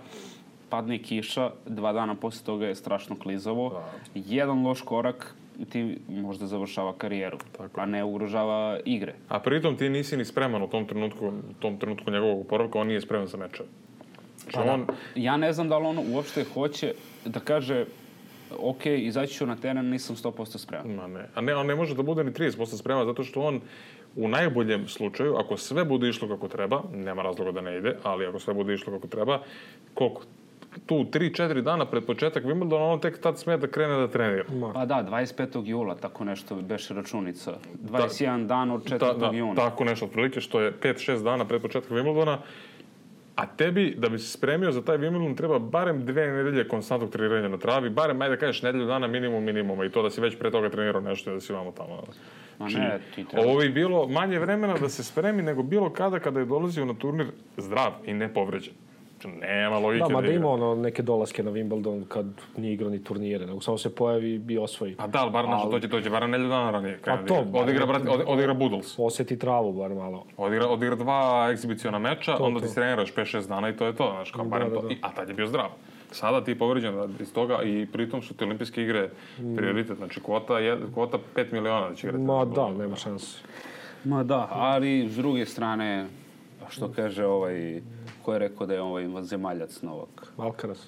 padne kiša, 2 dana posle toga je strašno klizavo. Jedan loš korak ti možda završava karijeru, a ne ugrožava igre. A pritom ti nisi ni spreman u tom trenutku njegovog oporavka, on nije spreman za mečeve. Ja ne znam da li on uopšte hoće da kaže ok, izaći ću na teren, nisam 100% spreman. On ne može da bude ni 30% spreman, zato što on u najboljem slučaju, ako sve bude išlo kako treba, nema razloga da ne ide, ali ako sve bude išlo kako treba, koliko? Tu 3-4 dana pred početak Wimbledona, on tek tad smije da krene da trenira. Pa da, 25. jula, tako nešto beše računica. 21 dan od 4. juna. Tako nešto, otprilike, što je 5-6 dana pred početak Wimbledona. A tebi, da bi se spremio za taj Wimbledon, treba barem 2 nedelje konstantnog treniranja na travi, barem, ajde da kažeš, nedelju dana minimuma i to da si već pre toga trenirao nešto i da si vamo tamo. Ovo bi bilo manje vremena da se spremi nego bilo kada je dolazio na turnir zdrav i nepovređen. Nema logike da igra. Da ima neke dolaske na Wimbledon kad nije igrao ni turnire, nego samo se pojavi i osvoji. A da, ali bar dođe bar nedelju dana ranije. Odigra Budals. Osjeti travu bar malo. Odigra 2 egzibiciona meča, onda ti treniraš 5-6 dana i to je to. A tad je bio zdrav. Sada ti je povređen iz toga i pritom su te olimpijske igre prioritet. Znači kvota 5 miliona da će igrati. Ma da, nema šanse. Ma da, ali s druge strane, što kaže ko je rekao da je vanzemaljac Novak? Alcaraz,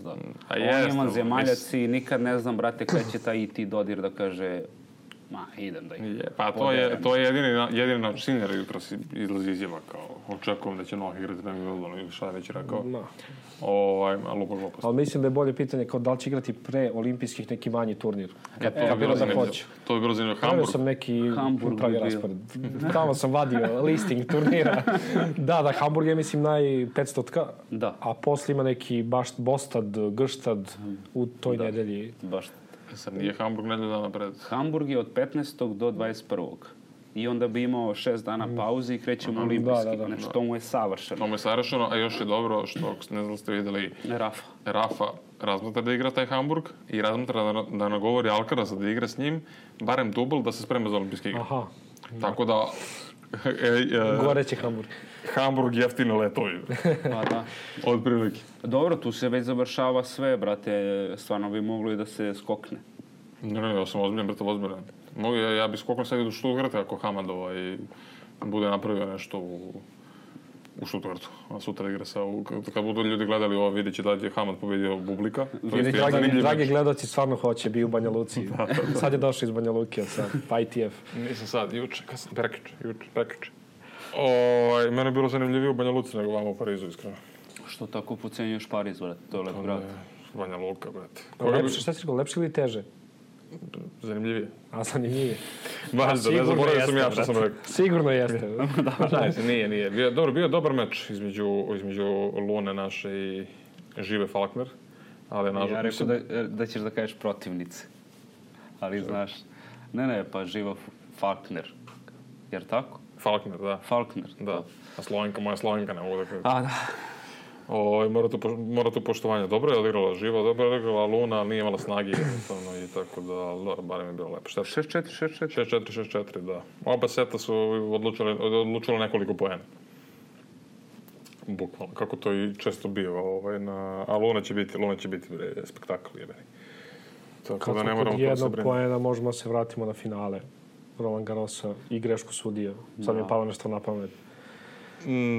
da. On je vanzemaljac i nikad ne znam, brate, kada će taj IT Dodir da kaže idem da ih... Pa to je jedini naš Sinner jutros izlazi izjava kao očekujem da će Novak igrati na Wimbledonu ili šta je već rekao. Lupa glupost. Ali mislim da je bolje pitanje kao da li će igrati pre olimpijskih neki manji turnir. To bi bilo zanimljivo. Hamburg. Sam neki pravi raspored. Tamo sam vadio listing turnira. Da, Hamburg je mislim 500-ka, a posle ima neki Bostad, Grštad u toj nedelji. Baš. Sad nije Hamburg nedelju dana pred. Hamburg je od 15. do 21. i onda bi imao 6 dana pauze i krećemo olimpijski. Da. Znači, to mu je savršeno. To mu je savršeno, a još je dobro što, ne znam da ste vidjeli, Rafa razmatra da igra taj Hamburg i razmatra da nagovori Alcaraza da igra s njim, barem dubl da se sprema za olimpijske igre. Aha. Tako da... Goreći Hamburg. Hamburg jeftino letovi. Pa da. Od prilike. Dobro, tu se već završava sve, brate. Stvarno bi moglo i da se skokne. Ne, ja sam ozbiljan, brate, ozbiljan. Ja bi skoknuo sad i do Stuttgarta ako Hamad i bude napravio nešto u Stuttgartu. A sutra igra kad budu ljudi gledali ovo, vidjet će da je Hamad pobedio Bublika. Dragi gledaoci stvarno hoće, bi u Banja Luci. Sad je došao iz Banja Luke, pa ITF. Nisam sad, juče, prekiče. Mene je bilo zanimljivije u Banja Luci nego vama u Parizu, iskreno. Što tako pocenjuješ Pariz, brate? To je lep grad. Banja Luka, brate. Šta si rekao, lepše ili teže? Zanimljivije. A, zanimljivije. Baš da, ne zaboravio sam ja što sam rekao. Sigurno jeste. Nije. Bio je dobar meč između Lune naše i Žive Falkner. Ja rekao da ćeš da kažeš protivnice. Ali znaš, ne, pa Živa Falkner. Jer tako? Falkner, da. Da. A moja Slovenka ne mogu da kažem. A, da. Mora tu poštovanje. Dobro je odigrala Živa, dobro je odigrala Luna, ali nije imala snage i tako da, barem je bilo lepo. 6-4, da. Oba seta su odlučile nekoliko poena. Bukvalno, kako to i često biva. A Luna će biti spektakl. Tako da ne moramo to se briniti. Kad smo kod jednog poena možemo da se vratimo na finale Roland Garrosa i grešku sudija. Sad mi je palo nešto na pamet.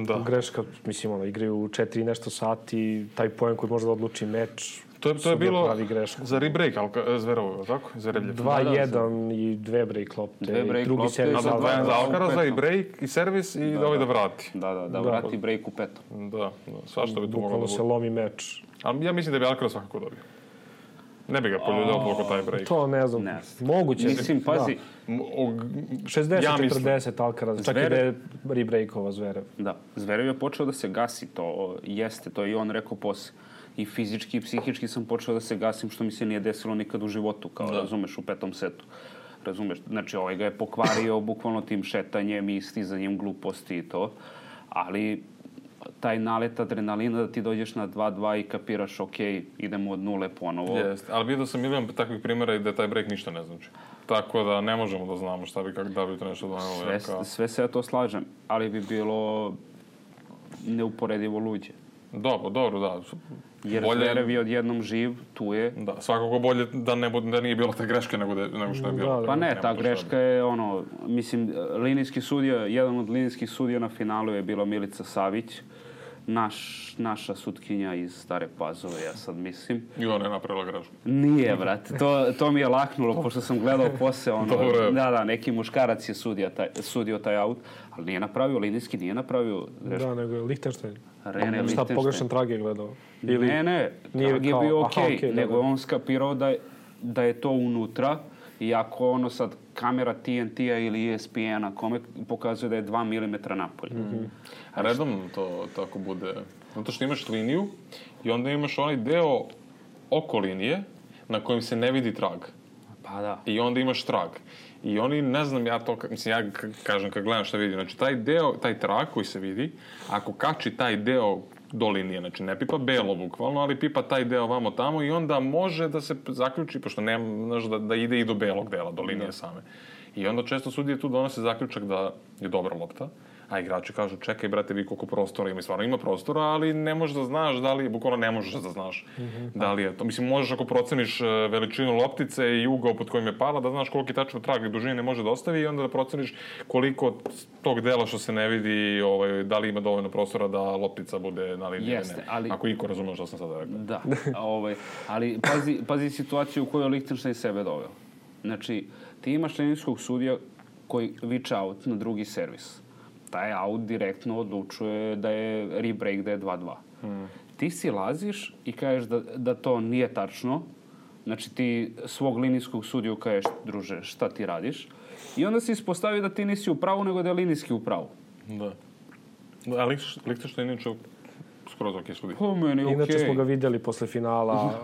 Da. Greška, mislim, igraju u 4 i nešto sati, taj poen koji može da odluči meč. To je bilo za rebreak, Zverovo, tako? 2-1 i 2 break lopte. Drugi servis za Alcaraza i break i servis i da vrati. Da vrati break u petom. Da, svašta bi tu moglo da bude. Bukvalno se lomi meč. Ali ja mislim da bi Alcaraz svakako dobio. Ne bi ga poljuljao toliko taj break. To ne znam. Moguće. Mislim, pazi. 60-40 Alcaraz. Čak i da je rebreakova Zverev. Da. Zverev je počeo da se gasi. To jeste. To je i on rekao posle. I fizički i psihički sam počeo da se gasim, što mi se nije desilo nikad u životu. Kao razumeš, u 5. setu. Razumeš. Znači, ovaj ga je pokvario bukvalno tim šetanjem i stizanjem gluposti i to. Ali taj nalet adrenalina da ti dođeš na 2-2 i kapiraš, ok, idemo od nule ponovo. Jeste, ali vidio sam milion takvih primjera i da taj break ništa ne znači. Tako da ne možemo da znamo šta bi, da bi to nešto donelo. Sve se ja to slažem, ali bi bilo neuporedivo luđe. Dobro, da. Jer Zverev je odjednom živ, tu je. Da, svakako bolje da nije bilo te greške nego što je bilo. Pa ne, ta greška je mislim, linijski sudija, jedan od linijskih sudija na finalu je bila Milica Savić, naša sutkinja iz Stare Pazove, ja sad mislim. I ona je napravila grešku. Nije, brate, to mi je laknulo, pošto sam gledao posle, neki muškarac je sudio taj aut, ali nije napravio, linijski nije napravio grešku. Da, nego je Lichtenstein. Rene Lichtenstein. Šta pogrešan Trag je gledao? Ne, Trag je bio okej, nego je on skapirao da je to unutra, i ako sad kamera TNT-a ili ESPN-a kome pokazuje da je 2 mm napolje. Redom to tako bude. Zato što imaš liniju i onda imaš onaj deo oko linije na kojem se ne vidi trag. Pa da. I onda imaš trag. I oni, ne znam, ja kažem kad gledam šta vidim, znači taj trag koji se vidi, ako kači taj deo do linije, znači ne pipa belo bukvalno, ali pipa taj deo vamo tamo i onda može da se zaključi, pošto nema, da ide i do belog dela, do linije same. I onda često sudije tu donose zaključak da je dobra lopta, a igrači kažu, čekaj, brate, vi koliko prostora ima. I stvarno ima prostora, ali ne možeš da znaš da li, bukvalno ne možeš da znaš da li je to. Mislim, možeš ako proceniš veličinu loptice i ugao pod kojim je pala, da znaš koliki tačno trag i dužine može da ostavi i onda da proceniš koliko tog dela što se ne vidi, da li ima dovoljno prostora da loptica bude na liniji. Jeste, ali... Ako iko razumeo što sam sada rekao. Da, ali pazi situaciju u kojoj Lichtenstein sebe doveo. Znači, ti imaš linijskog sudija koji viče out na drugi servis. Taj out direktno odlučuje da je rebreak, da je 2-2. Ti si laziš i kažeš da to nije tačno. Znači ti svog linijskog sudiju kažeš, druže, šta ti radiš? I onda se ispostavi da ti nisi u pravu, nego da je linijski u pravu. Da. A Lichtenstein inače skroz ok sudi. Po meni okej. Inače smo ga vidjeli posle finala,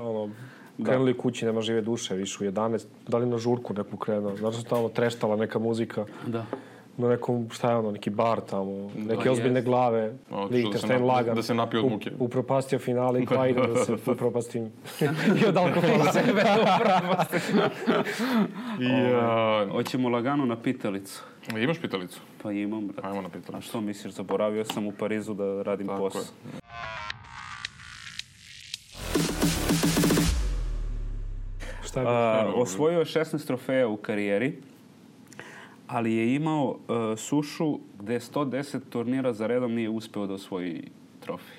krenuli kući, nema žive duše, više u 11. Da li na žurku neku krenuo? Znači su tamo treštala neka muzika. Da. na nekom, šta je ono, neki bar tamo, neke ozbiljne glave, Liechtenstein lagan. Da se napio od muke. Upropastio finale i kao idem da se upropastim. I od alkohola. Sebe upropastim. Hoćemo lagano na pitalicu. Imaš pitalicu? Pa imam, brate. Ajmo na pitalicu. A što misliš, zaboravio sam u Parizu da radim posao. Osvojio je 16 trofeja u karijeri, ali je imao sušu gde 110 turnira za redom nije uspeo da osvoji trofej.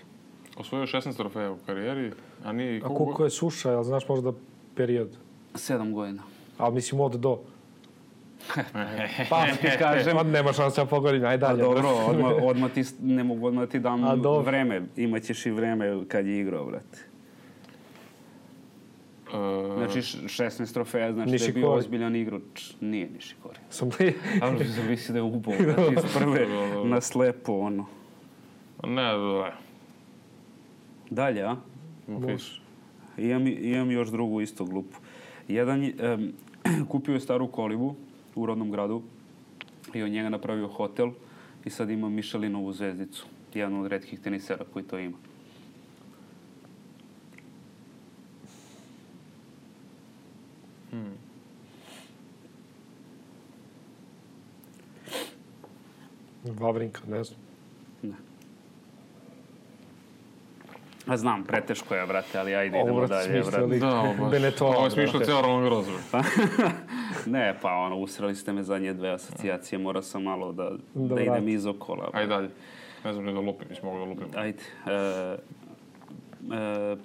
Osvojio 16 trofeja u karijeri, a nije... A koliko je suša, jel znaš možda period? 7 godina. Ali mislim od do. Pa ti kažem... Nema šanse da pogodim, aj dalje. Dobro, ne mogu odmah ti dam vreme. Imaćeš i vreme kad je igrao, brate. Znači 16 trofeja, znači da je bio ozbiljan igrač. Nije Nishikori. Ali zavisi da je ubao, brate, iz prve na slepo, ono. Ne. Dalje, a? Imam još drugu isto glupu. Kupio je staru kolibu u rodnom gradu i od njega napravio hotel i sad ima Michelinovu zvezdicu. Jedan od retkih tenisera koji to ima. Vavrinka, ne znam. Ne. A znam, preteško je, brate, ali ajde idemo dalje, brate. Ovo je smišljao cijelo Roland Garros. Ne, pa ono, usrali ste me zadnje dve asocijacije, morao sam malo da idem iz okola. Ajde dalje. Ne znam ne da lupim, mislim mogu da lupim. Ajde.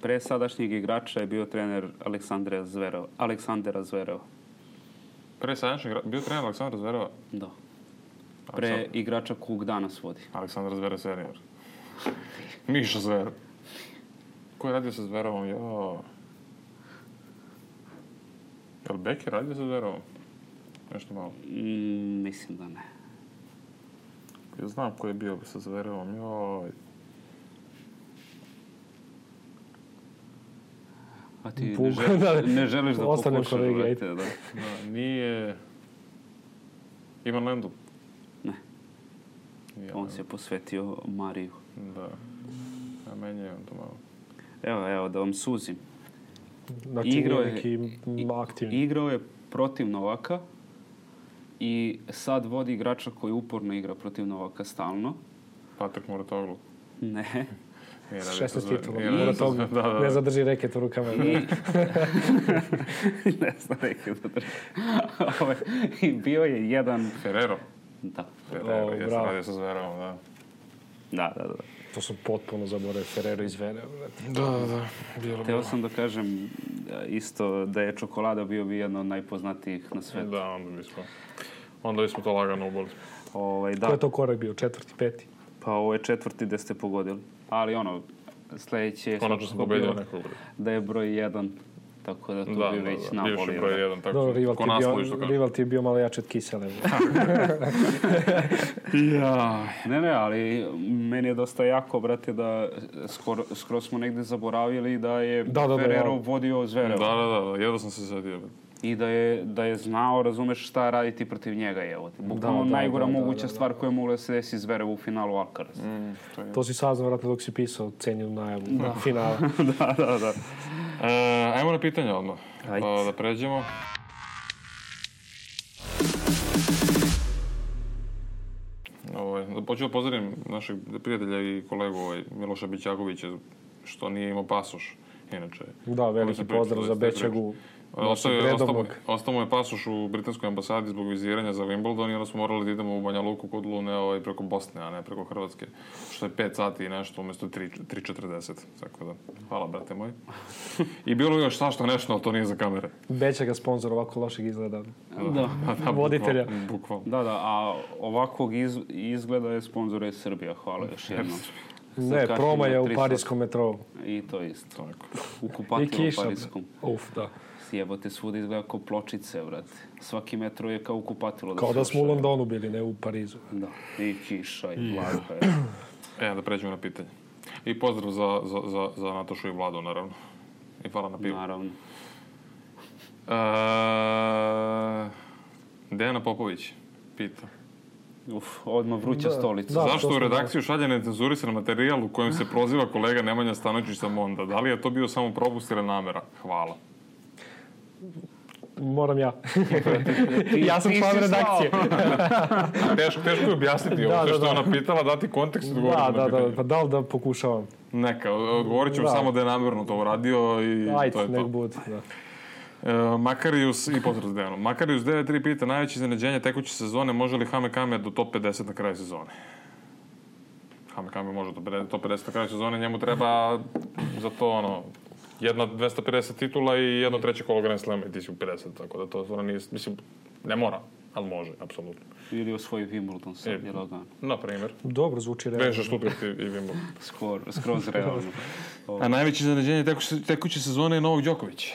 Pre sadašnjeg igrača je bio trener Aleksandera Zvereva. Pre sadašnjeg bio trener Aleksandra Zvereva? Da. Pre igrača kog danas vodi. Aleksandar Zverev senior. Miša Zverev. Ko je radio sa Zverevom? Jel Becker radio sa Zverevom? Nešto malo. Mislim da ne. Ja znam ko je bio sa Zverevom. A ti ne želiš da pokušaš, brate, da? Nije... Ivan Lendl? Ne. On se posvetio Mariju. Da. A meni je on to malo. Evo, da vam suzim. Znači, igrao je protiv Novaka i sad vodi igrača koji uporno igra protiv Novaka stalno. Patrik Muratoglu? Ne. 16 titula. Muratoglu. Ne zadrži reket u rukama. Ne znam reket zadrži. I bio je jedan... Ferrero? Da. Ferrero, jesam radio sa Zverevom, da. Da. To sam potpuno zaboravio, Ferrero iz Zvereva. Da. Hteo sam da kažem isto da je čokolada bio bi jedno od najpoznatijih na svetu. Da, onda bismo to lagano uboli. Da. Ko je to korak bio? 4., 5.? Pa ovo je 4. gde ste pogodili. Ali sledeće je... Konačno sam pobedio nekog. Da je broj 1. Tako da tu bi već nabolio. Bivši broj 1, tako rival ti je bio malo jače od Kisele. Ne, ali meni je dosta jako, brate, da skoro smo negde zaboravili da je Ferrero vodio Zvereva. Da, jedno sam se zadio. I da je znao, razumeš, šta raditi protiv njega, evo. Bukvalno najgora moguća stvar koja je mogla da se desi Zverevu u finalu Alcaraz. To si saznao, vratno, dok si pisao cenjenu najavu finala. Da. Ajmo na pitanje odmah. Da pređemo. Počeo da pozdravim našeg prijatelja i kolegu Miloša Bićakovića, što nije imao pasoš, inače. Da, veliki pozdrav za Bećagu. Ostao mu je pasoš u britanskoj ambasadi zbog viziranja za Wimbledon i onda smo morali da idemo u Banja Luku kod Lune preko Bosne, a ne preko Hrvatske. Što je 5 sati i nešto, umjesto 3:40. Tako da, hvala, brate moj. I bilo je još svašta nešto, ali to nije za kamere. Bećaga sponsor ovako lošeg izgleda. Da. Voditelja. Bukvalno. Da, a ovakvog izgleda je sponsor je Srbija, hvala još jednom. Ne, Proma je u parijskom metrou. I to isto. U kupatilu parijskom. Da. Jebote, svuda izgleda kao pločice, brate. Svaki metro je kao u kupatilu. Kao da smo u Londonu bili, ne u Parizu. Da, i kiša i vlaga. Da pređemo na pitanje. I pozdrav za Natašu i Vladu, naravno. I hvala na pivu. Naravno. Dejana Popović pita. Odmah vruća stolica. Da, Zašto to u smo redakciju šalje necenzurisan materijal u kojem se proziva kolega Nemanja Stanočić sa Monda? Da li je to bio samo propust ili namera? Hvala. Moram ja. Ja sam član redakcije. Teško je objasniti ovo. Sve što je ona pitala, dati kontekst i odgovoriti na pitanje. Pa da li da pokušavam? Neka, odgovorit ću samo da je namjerno to uradio i Ajde, to je nek to. bude, da. Makarius i pozdrav Zdejanu. Makarius 9.3 pita najveće iznenađenje tekuće sezone, može li Hame Kame do top 50 na kraju sezone? Hame Kame može do top 50 na kraju sezone, njemu treba za to jedna 250 titula i jedno treće kolo Grand Slama i ti si u 50, tako da to stvarno nije, mislim, ne mora, ali može, apsolutno. Ili osvoji Wimbledon sad, je lagano. Na primjer. Dobro, zvuči realno. Veže Stuttgart i Wimbledon. Skroz realno. A najveće iznenađenje tekuće sezone je Novak Đoković.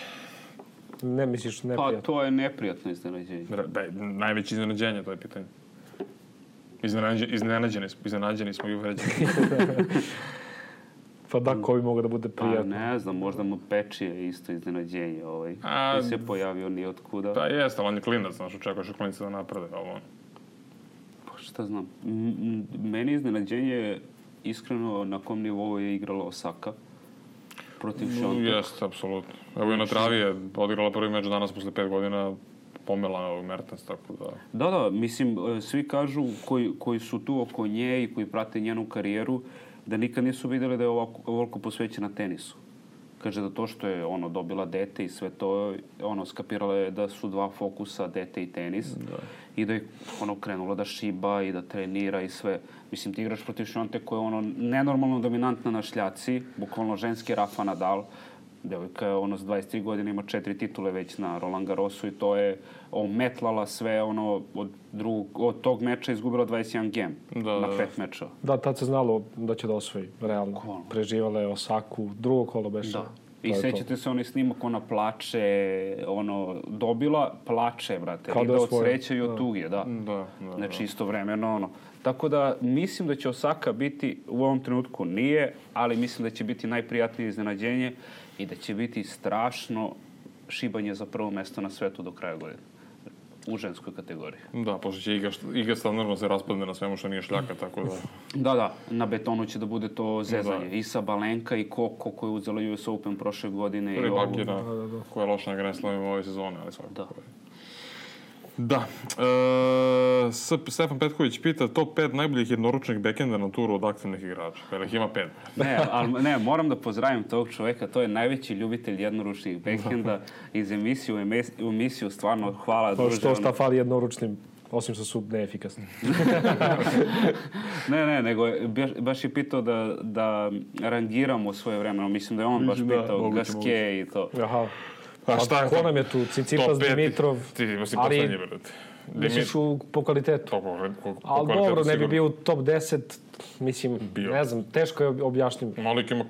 Ne misliš Pa neprijatno? to je neprijatno iznenađenje. Najveće iznenađenje, to je pitanje. Iznenađeni smo i uvređeni. Pa da, ko bi mogao da bude Pa prijatno? ne znam, možda mu Pečije isto iznenađenje. Koji se pojavio ni od kuda. Pa jeste, ali on je klinac, znaš, očekuješ od klinica da naprede ovo. Pa šta znam. Meni iznenađenje, iskreno, na kom nivou je igrala Osaka protiv Šontek. Jeste, apsolutno. Evo i na travi je odigrala prvi meč danas posle 5 godina, pomela u Mertens, tako da... Da, mislim, svi kažu koji su tu oko nje i koji prate njenu karijeru, da nikad nisu vidjeli da je ovoliko posvećena tenisu. Kaže da to što je dobila dete i sve to, skapirala je da su dva fokusa, dete i tenis. Da. I da je krenula da šiba i da trenira i sve. Mislim, ti igraš protiv Šonte koja je nenormalno dominantna na šljaci, bukvalno ženski Rafa Nadal. Devojka je s 23 godine ima 4 titule već na Roland Garrosu i to je ometlala sve od tog meča izgubila 21 game na 5 meča. Da, tad se znalo da će da osvoji, realno. Preživala je Osaku, drugo kolo beše. Da. I sećate se onaj snimak, ona plače, dobila, plače, brate. Riba od sreće i od tuge, da. Znači, istovremeno, Tako da, mislim da će Osaka biti, u ovom trenutku nije, ali mislim da će biti najprijatnije iznenađenje i da će biti strašno šibanje za prvo mesto na svetu do kraja godine. U ženskoj kategoriji. Da, pošto će iga standardno se raspadne na svemu što nije šljaka, tako da... Da, na betonu će da bude to zezanje. I Sabalenka i Koko koja je uzela US Open prošle godine. Ili Bakina, koja je loša na Grand Slamu ove sezone, ali svakako. Da. Stefan Petković pita top 5 najboljih jednoručnih bekenda na turu od aktivnih igrača. Jer ih ima 5. Ne, moram da pozdravim tog čoveka. To je najveći ljubitelj jednoručnih bekenda iz emisije u emisiju. Stvarno, hvala. Pa što šta fali jednoručnim, osim što su neefikasni. Ne, nego baš je pitao da rangiramo svoje vremeno. Mislim da je on baš pitao Gaske i to. Aha. Pa ko nam je tu? Cicipas, Dimitrov, ali misliš po kvalitetu. Ali dobro, ne bi bio u top 10, mislim, ne znam, teško je objasnim. Malik ima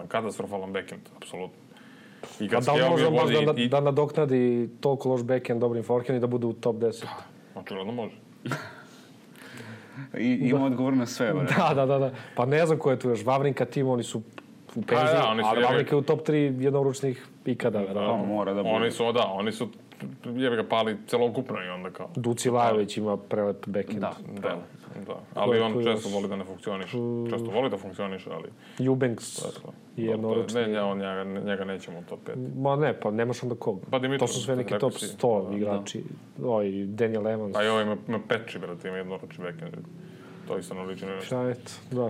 katastrofalan backend, apsolutno. A da li može možda da nadoknadi toliko loš backend dobrim forehand i da bude u top 10? Očigledno može. I ima odgovor na sve, bre. Da. Pa ne znam ko je tu još. Vavrinka, Tim, oni su u penziji, ali Vavrinka je u top 3 jednoručnih ikada. Mora da bude. Oni su ga pali celokupno i onda kao... Duci Lajović ima prelep backend. Da. Ali on često voli da ne funkcioniše. Često voli da funkcioniše, ali... Eubanks je jednoručni. Njega nećemo u top 5. Ma ne, pa nemaš onda kog. To su sve neki top 100 igrači. Daniel Evans. A ima Peči, brate, ima jednoručni backend. To isto naliči na nešto. Šta je to? Da.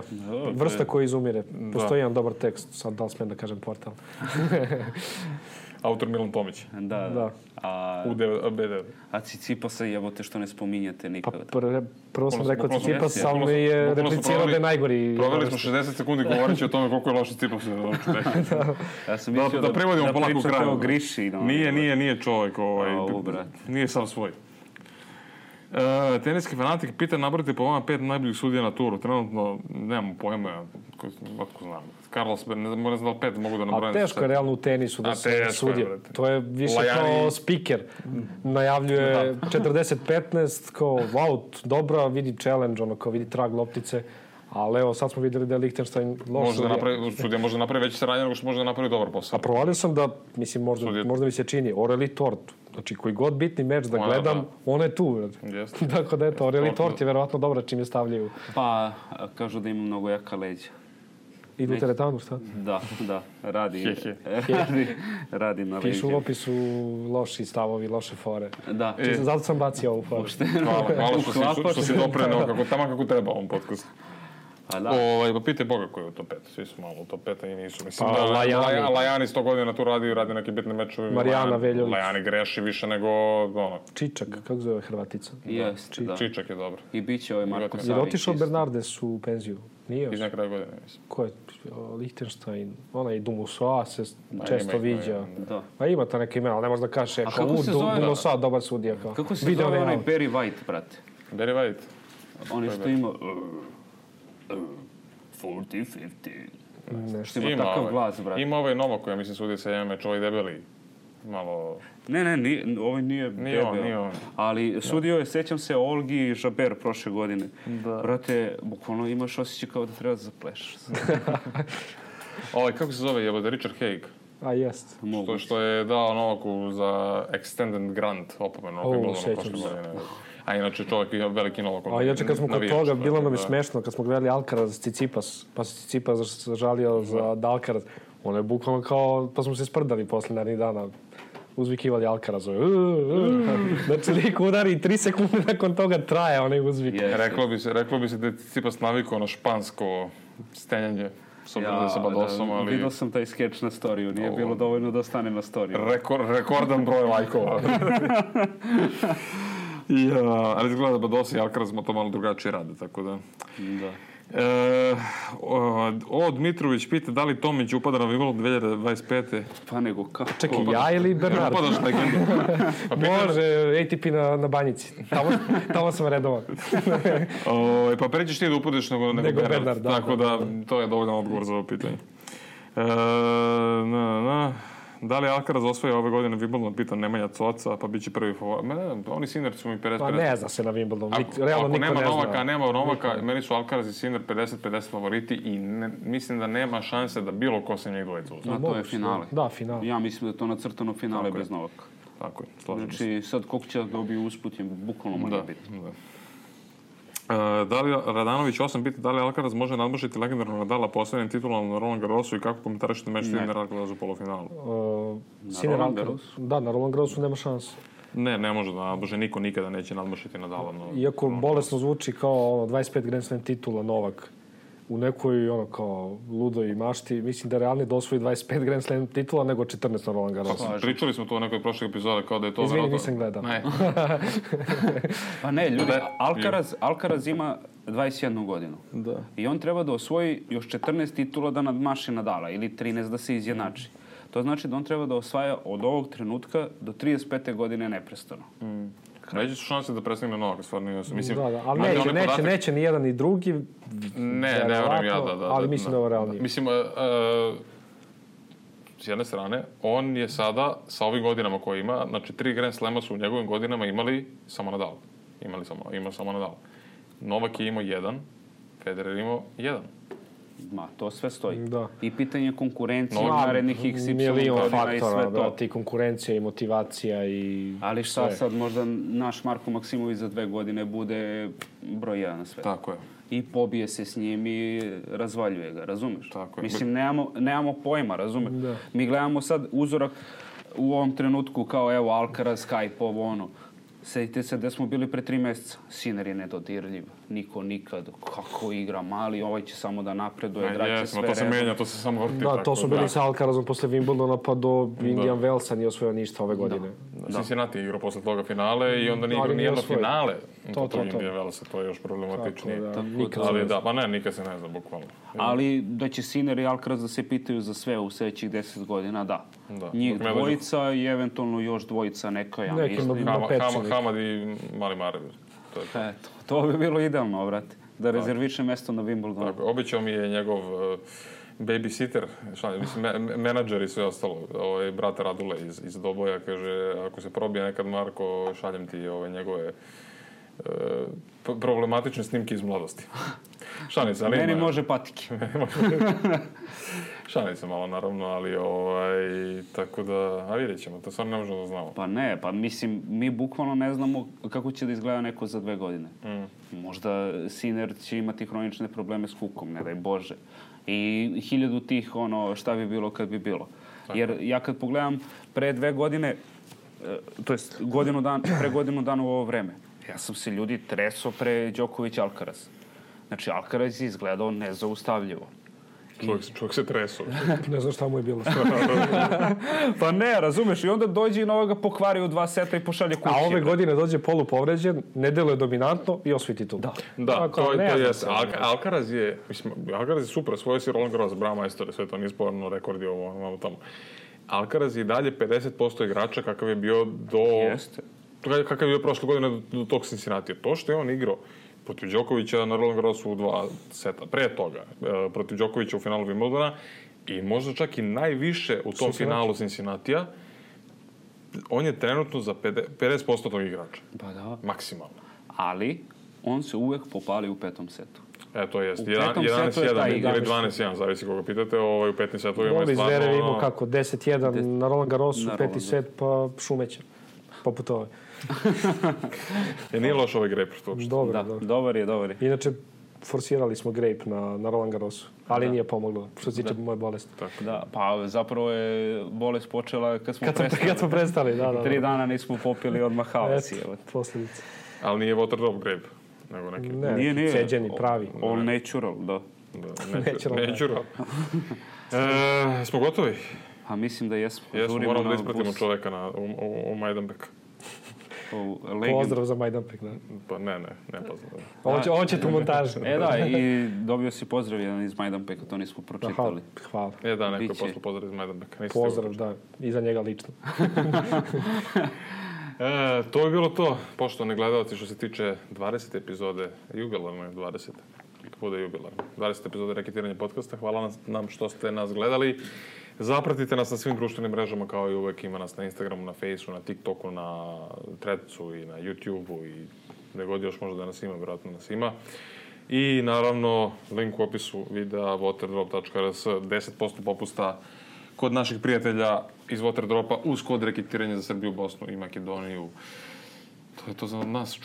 Vrsta koja izumire. Postoji jedan dobar tekst, sad da li smijem da kažem portal. Autor Milan Tomić. Da. B9. A Cicipasa jebote što ne spominjate nikada. Pa prvo sam rekao Cicipas, ali mi je replicirao da je najgori. Proveli smo 60 sekundi govoreći o tome koliko je loš Cicipas. Ja sam mislio da privodimo polako u kraju. Da Griši. Nije čovjek. Nije sam svoj. Teniski fanatik pita nabrojite po vama 5 najboljih sudija na turu. Trenutno nemamo pojma, otko znam. Carlos, ne znam da li 5 mogu da nabrojim. A teško je realno u tenisu da se sudi. To je više kao speaker. Najavljuje 40-15, kao wow, dobro, vidi challenge, kao vidi trag loptice. Ali evo, sad smo vidjeli da je Lichtenstein loš sudija. Može napravi veće saradnje nego što može da napravi dobar posao. A provalio sam da, mislim, možda mi se čini, Aurélie Tort, Znači, koji god bitni meč da Ona, gledam, da. ona je tu. Jeste. Tako da, eto, Aureli Tort je verovatno dobra čim je stavljaju. Pa, kažu da ima mnogo jaka leđa. Idu u teretanu, šta? Da, radi na leđa. Pišu u opisu loši stavovi, loše fore. Da. Zato sam bacio ovu foru. Hvala što si dopreneo kako treba ovom podcastu. Pa da. Pa pitaj Boga koji je u top 5. Svi su malo u top 5 i nisu. Mislim Pa, Lajani 100 godina tu radi neke bitne mečeve. Marijana Veljović. Lajani greši više nego ono. Čičak, kako zove Hrvatica? Jeste, da. Čičak je dobro. I bit će ovaj Marko Savić. Jer otišao Bernardes u penziju? Nije još? Iz nekada godine, mislim. Ko je? Lichtenstein, onaj Dumusoa se često viđa. Da. Pa ima ta neka imena, ali ne možda kaže A kako se zove? Dumusoa, dobar sudija. Kako se zove onaj Barry White, brate? Barry White. On što ima... 40-50. Što ima takav glas, brate. Ima ovaj Novak, ja mislim sudi sa jedan meč, ovaj debeli. Malo... Ne, ovaj nije debel. Nije on. Ali sudio je, sećam se, Olgi Žaber prošle godine. Da. Brate, bukvalno imaš osjećaj kao da treba da zaplešaš. Kako se zove, jebote, Richard Haig. A, jest. Što je dao Novaku za extended grant opomenu. Sećam se. A inače čovjek je veliki Novak. A inače kad smo kod toga, bilo nam je smešno, kad smo gledali Alcaraz Tsitsipas, pa se Tsitsipas žalio za Alcaraz, ono je bukvalno kao, pa smo se sprdali posle narednih dana, uzvikivali Alcarazove. Znači, lik udari i 3 sekunde nakon toga traje onaj uzvik. Reklo bi se da je Tsitsipas navikao na špansko stenjanje. Sa Badosom, ali... Vidio sam taj skeč na storiju, nije bilo dovoljno da ostane na storiju. Rekordan broj lajkova. Ali izgleda da Bados i Alcaraz to malo drugačije rade, tako da... Da. Dmitrović pita da li Tomić upada na Wimbledon 2025. Pa nego kako? Čekaj, ja ili Bernard? Upadaš legendu. Može, ATP na banjici. Tamo sam redovan. Pa prećeš ti da upadaš nego Bernard. Tako da, to je dovoljan odgovor za ovo pitanje. Da li Alcaraz osvaja ove godine Wimbledon, pita Nemanja Coca, pa bit će prvi favorit. Oni Sinner su mi 50-50. Pa ne zna se na Wimbledon. Ako nema Novaka, meni su Alcaraz i Sinner 50-50 favoriti i mislim da nema šanse da bilo ko se njih dvojica uzme. A to je finale. Da, finale. Ja mislim da je to nacrtano finale bez Novaka. Tako je, slažem se. Znači, sad koliko će da dobiju usput je bukvalno može biti. Da li Radanović 8 pita da li Alcaraz može nadmašiti legendarnog Nadala posljednjim titulom na Roland Garrosu i kako komentarišete meč Sinner Alcaraz u polufinalu? Na Roland Garrosu? Da, na Roland Garrosu nema šanse. Ne može da nadmaši, niko nikada neće nadmašiti Nadala. Iako bolesno zvuči kao 25 Grand Slam titula Novak u nekoj kao ludoj mašti, mislim da realnije da osvoji 25 Grand Slam titula nego 14 na Roland Garrosu. Pričali smo to u nekoj prošloj epizode kao da je to Izvini, nisam gledao. Pa ne, ljudi, Alcaraz ima 21 godinu. Da. I on treba da osvoji još 14 titula da nadmaši Nadala ili 13 da se izjednači. To znači da on treba da osvaja od ovog trenutka do 35. godine neprestano. Veće su šanse da prestigne Novaka, stvarno nije sam. Mislim, da, ali neće ni jedan ni drugi. Ne verujem ja da. Ali mislim da je ovo realnije. Mislim, s jedne strane, on je sada, sa ovim godinama koje ima, znači 3 Grand Slema su u njegovim godinama imali samo Nadal. Ima samo Nadal. Novak je imao 1, Federer imao 1. Ma, to sve stoji. Da. I pitanje konkurencije narednih XY milion godina i sve faktora, to. I konkurencija i motivacija i ali šta sve. sad, možda naš Marko Maksimović za 2 godine bude broj 1 na svetu. Tako je. I pobije se s njim i razvaljuje ga, razumeš? Tako je. Mislim, nemamo pojma, razumeš? Da. Mi gledamo sad uzorak u ovom trenutku kao evo Alcaraz, Skype, ovo ono. Sjetite se gde smo bili pre 3 mjeseca. Sinner je nedodirljiv. Niko nikad. Kako igra mali, ovaj će samo da napreduje, draće sve to se menja, to se samo vrti. Da, to su bili sa Alcarazom posle Wimbledona pa do Indian Wellsa nije osvojio ništa ove godine. Cincinnati igrao posle toga finale i onda nije igrao nijedno finale. To Indian Wellsa, to je još problematičnije. Ali da, pa ne, nikad se ne zna, bukvalno. Ali da će Sinner i Alcaraz da se pitaju za sve u sljedećih 10 godina, da. Njih dvojica i eventualno još dvojica neka, ja mislim. Hamad i Mali Marev. To bi bilo idealno, brate. Da rezerviše mesto na Wimbledonu. Tako, običao mi je njegov babysitter, menadžer i sve ostalo. Brata Radule iz Doboja, kaže, ako se probije nekad Marko, šaljem ti njegove problematične snimke iz mladosti. Šalim se, ali meni može patike. Šalim se malo, naravno, ali tako da, a vidjet ćemo, to stvarno ne možemo da znamo. Pa ne, pa mislim, mi bukvalno ne znamo kako će da izgleda neko za 2 godine. Možda Sinner će imati hronične probleme s kukom, ne daj Bože. I 1000 tih, šta bi bilo kad bi bilo. Jer ja kad pogledam pre 2 godine, to jest pre godinu dana u ovo vreme, ja sam se ljudi treso pre Đoković Alcaraz. Znači, Alcaraz je izgledao nezaustavljivo. Čovjek se treso. Ne znam šta mu je bilo. Pa ne, razumeš, i onda dođe i novoga pokvari u 2 seta i pošalje kući. A ove godine dođe polupovređen, ne deluje dominantno i osvoji titul. Da, to je. Alcaraz je super, svoj si Roland Garros, Brahmeister, sve to nije sporno, rekordi ovo tamo. Alcaraz je i dalje 50% igrača kakav je bio kakav je bio prošle godine do tog Cincinnati. To što je on igrao protiv Đokovića na Roland Garrosu u 2 seta. Pre toga, protiv Đokovića u finalu Wimbledona i možda čak i najviše u tom finalu Cincinnatija, on je trenutno za 50% tog igrača. Pa da. Maksimalno. Ali, on se uvek popali u 5. setu. To jest. 11-1 ili 12-1, zavisi koga pitate. U 5. setu ima stvarno... Zverev imao kako? 10-1 na Roland Garrosu, 5. set, pa šumeće. Poput ove. Nije loš ovaj grape. Dobar je. Inače, forsirali smo grape na Roland Garrosu, ali nije pomoglo, što se tiče moje bolesti. Da, pa zapravo je bolest počela kad smo prestali. Da. 3 dana nismo popili odmah havasi. Posljedice. Ali nije water drop grape, nego neki... Nije. Ceđeni, pravi. All natural, da. Natural. Smo gotovi? A mislim da jesmo. Moramo da ispratimo čoveka u Majdanpek. Pozdrav za Majdanpek, da. Pa ne pozdrav. Ovo će tu montaž. Da, i dobio si pozdrav jedan iz Majdanpeka, to nismo pročitali. Hvala. Neko je poslao pozdrav iz Majdanpeka. Pozdrav, da, i za njega lično. To je bilo to, poštovani gledalci, što se tiče 20. epizode, jubilarne 20. Bude jubilarne. 20. epizode Reketiranja podcasta. Hvala nam što ste nas gledali. Zapratite nas na svim društvenim mrežama, kao i uvek. Ima nas na Instagramu, na Facebooku, na TikToku, na Threadsu i na YouTubeu i gde god još možda da nas ima, vjerojatno nas ima. I naravno, link u opisu videa waterdrop.rs, 10% popusta kod naših prijatelja iz Waterdropa uz kod Reketiranja za Srbiju, Bosnu i Makedoniju. To je to za nas.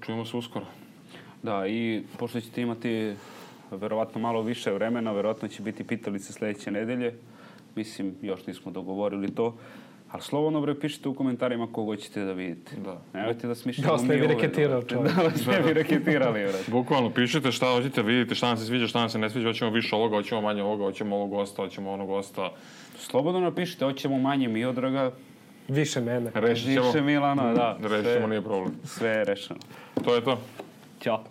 Čujemo se uskoro. Da, i pošto ćete imati verovatno malo više vremena, verovatno će biti pitalice sledeće nedelje. Mislim, još nismo dogovorili to. Ali slobodno bre, pišite u komentarima koga ćete da vidite. Nemojte da smišljamo mi ove. Da vas ne bi reketirao čovjek. Da vas ne bi reketirali, bre. Bukvalno, pišite šta hoćete vidjeti, šta nam se sviđa, šta nam se ne sviđa. Hoćemo više ovoga, hoćemo manje ovoga, hoćemo ovog gosta, hoćemo onog gosta. Slobodno napišite, hoćemo manje Miodraga. Više mene. Više Milana, da. Rešit ćemo, nije problem. Sve je rešeno. To je to. Ćao.